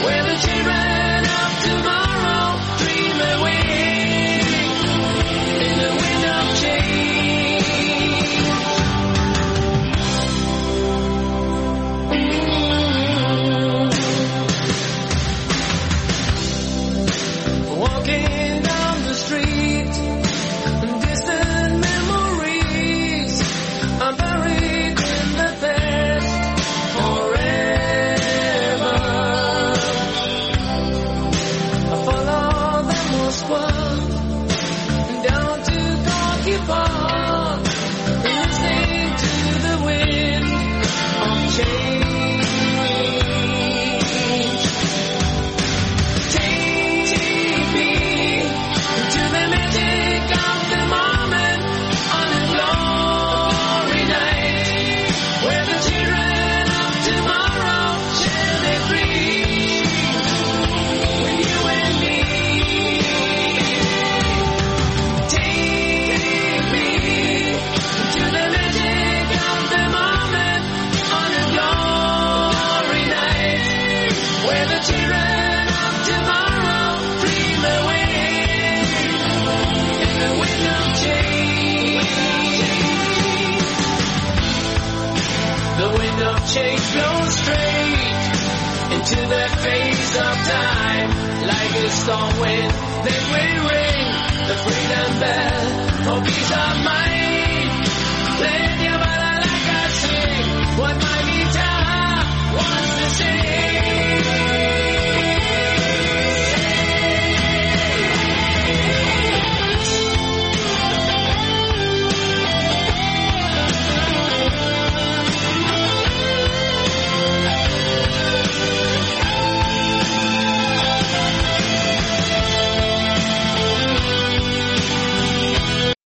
Where the wind of change. The wind of change blows straight into that phase of time. Like a storm wind, then we ring the freedom bell.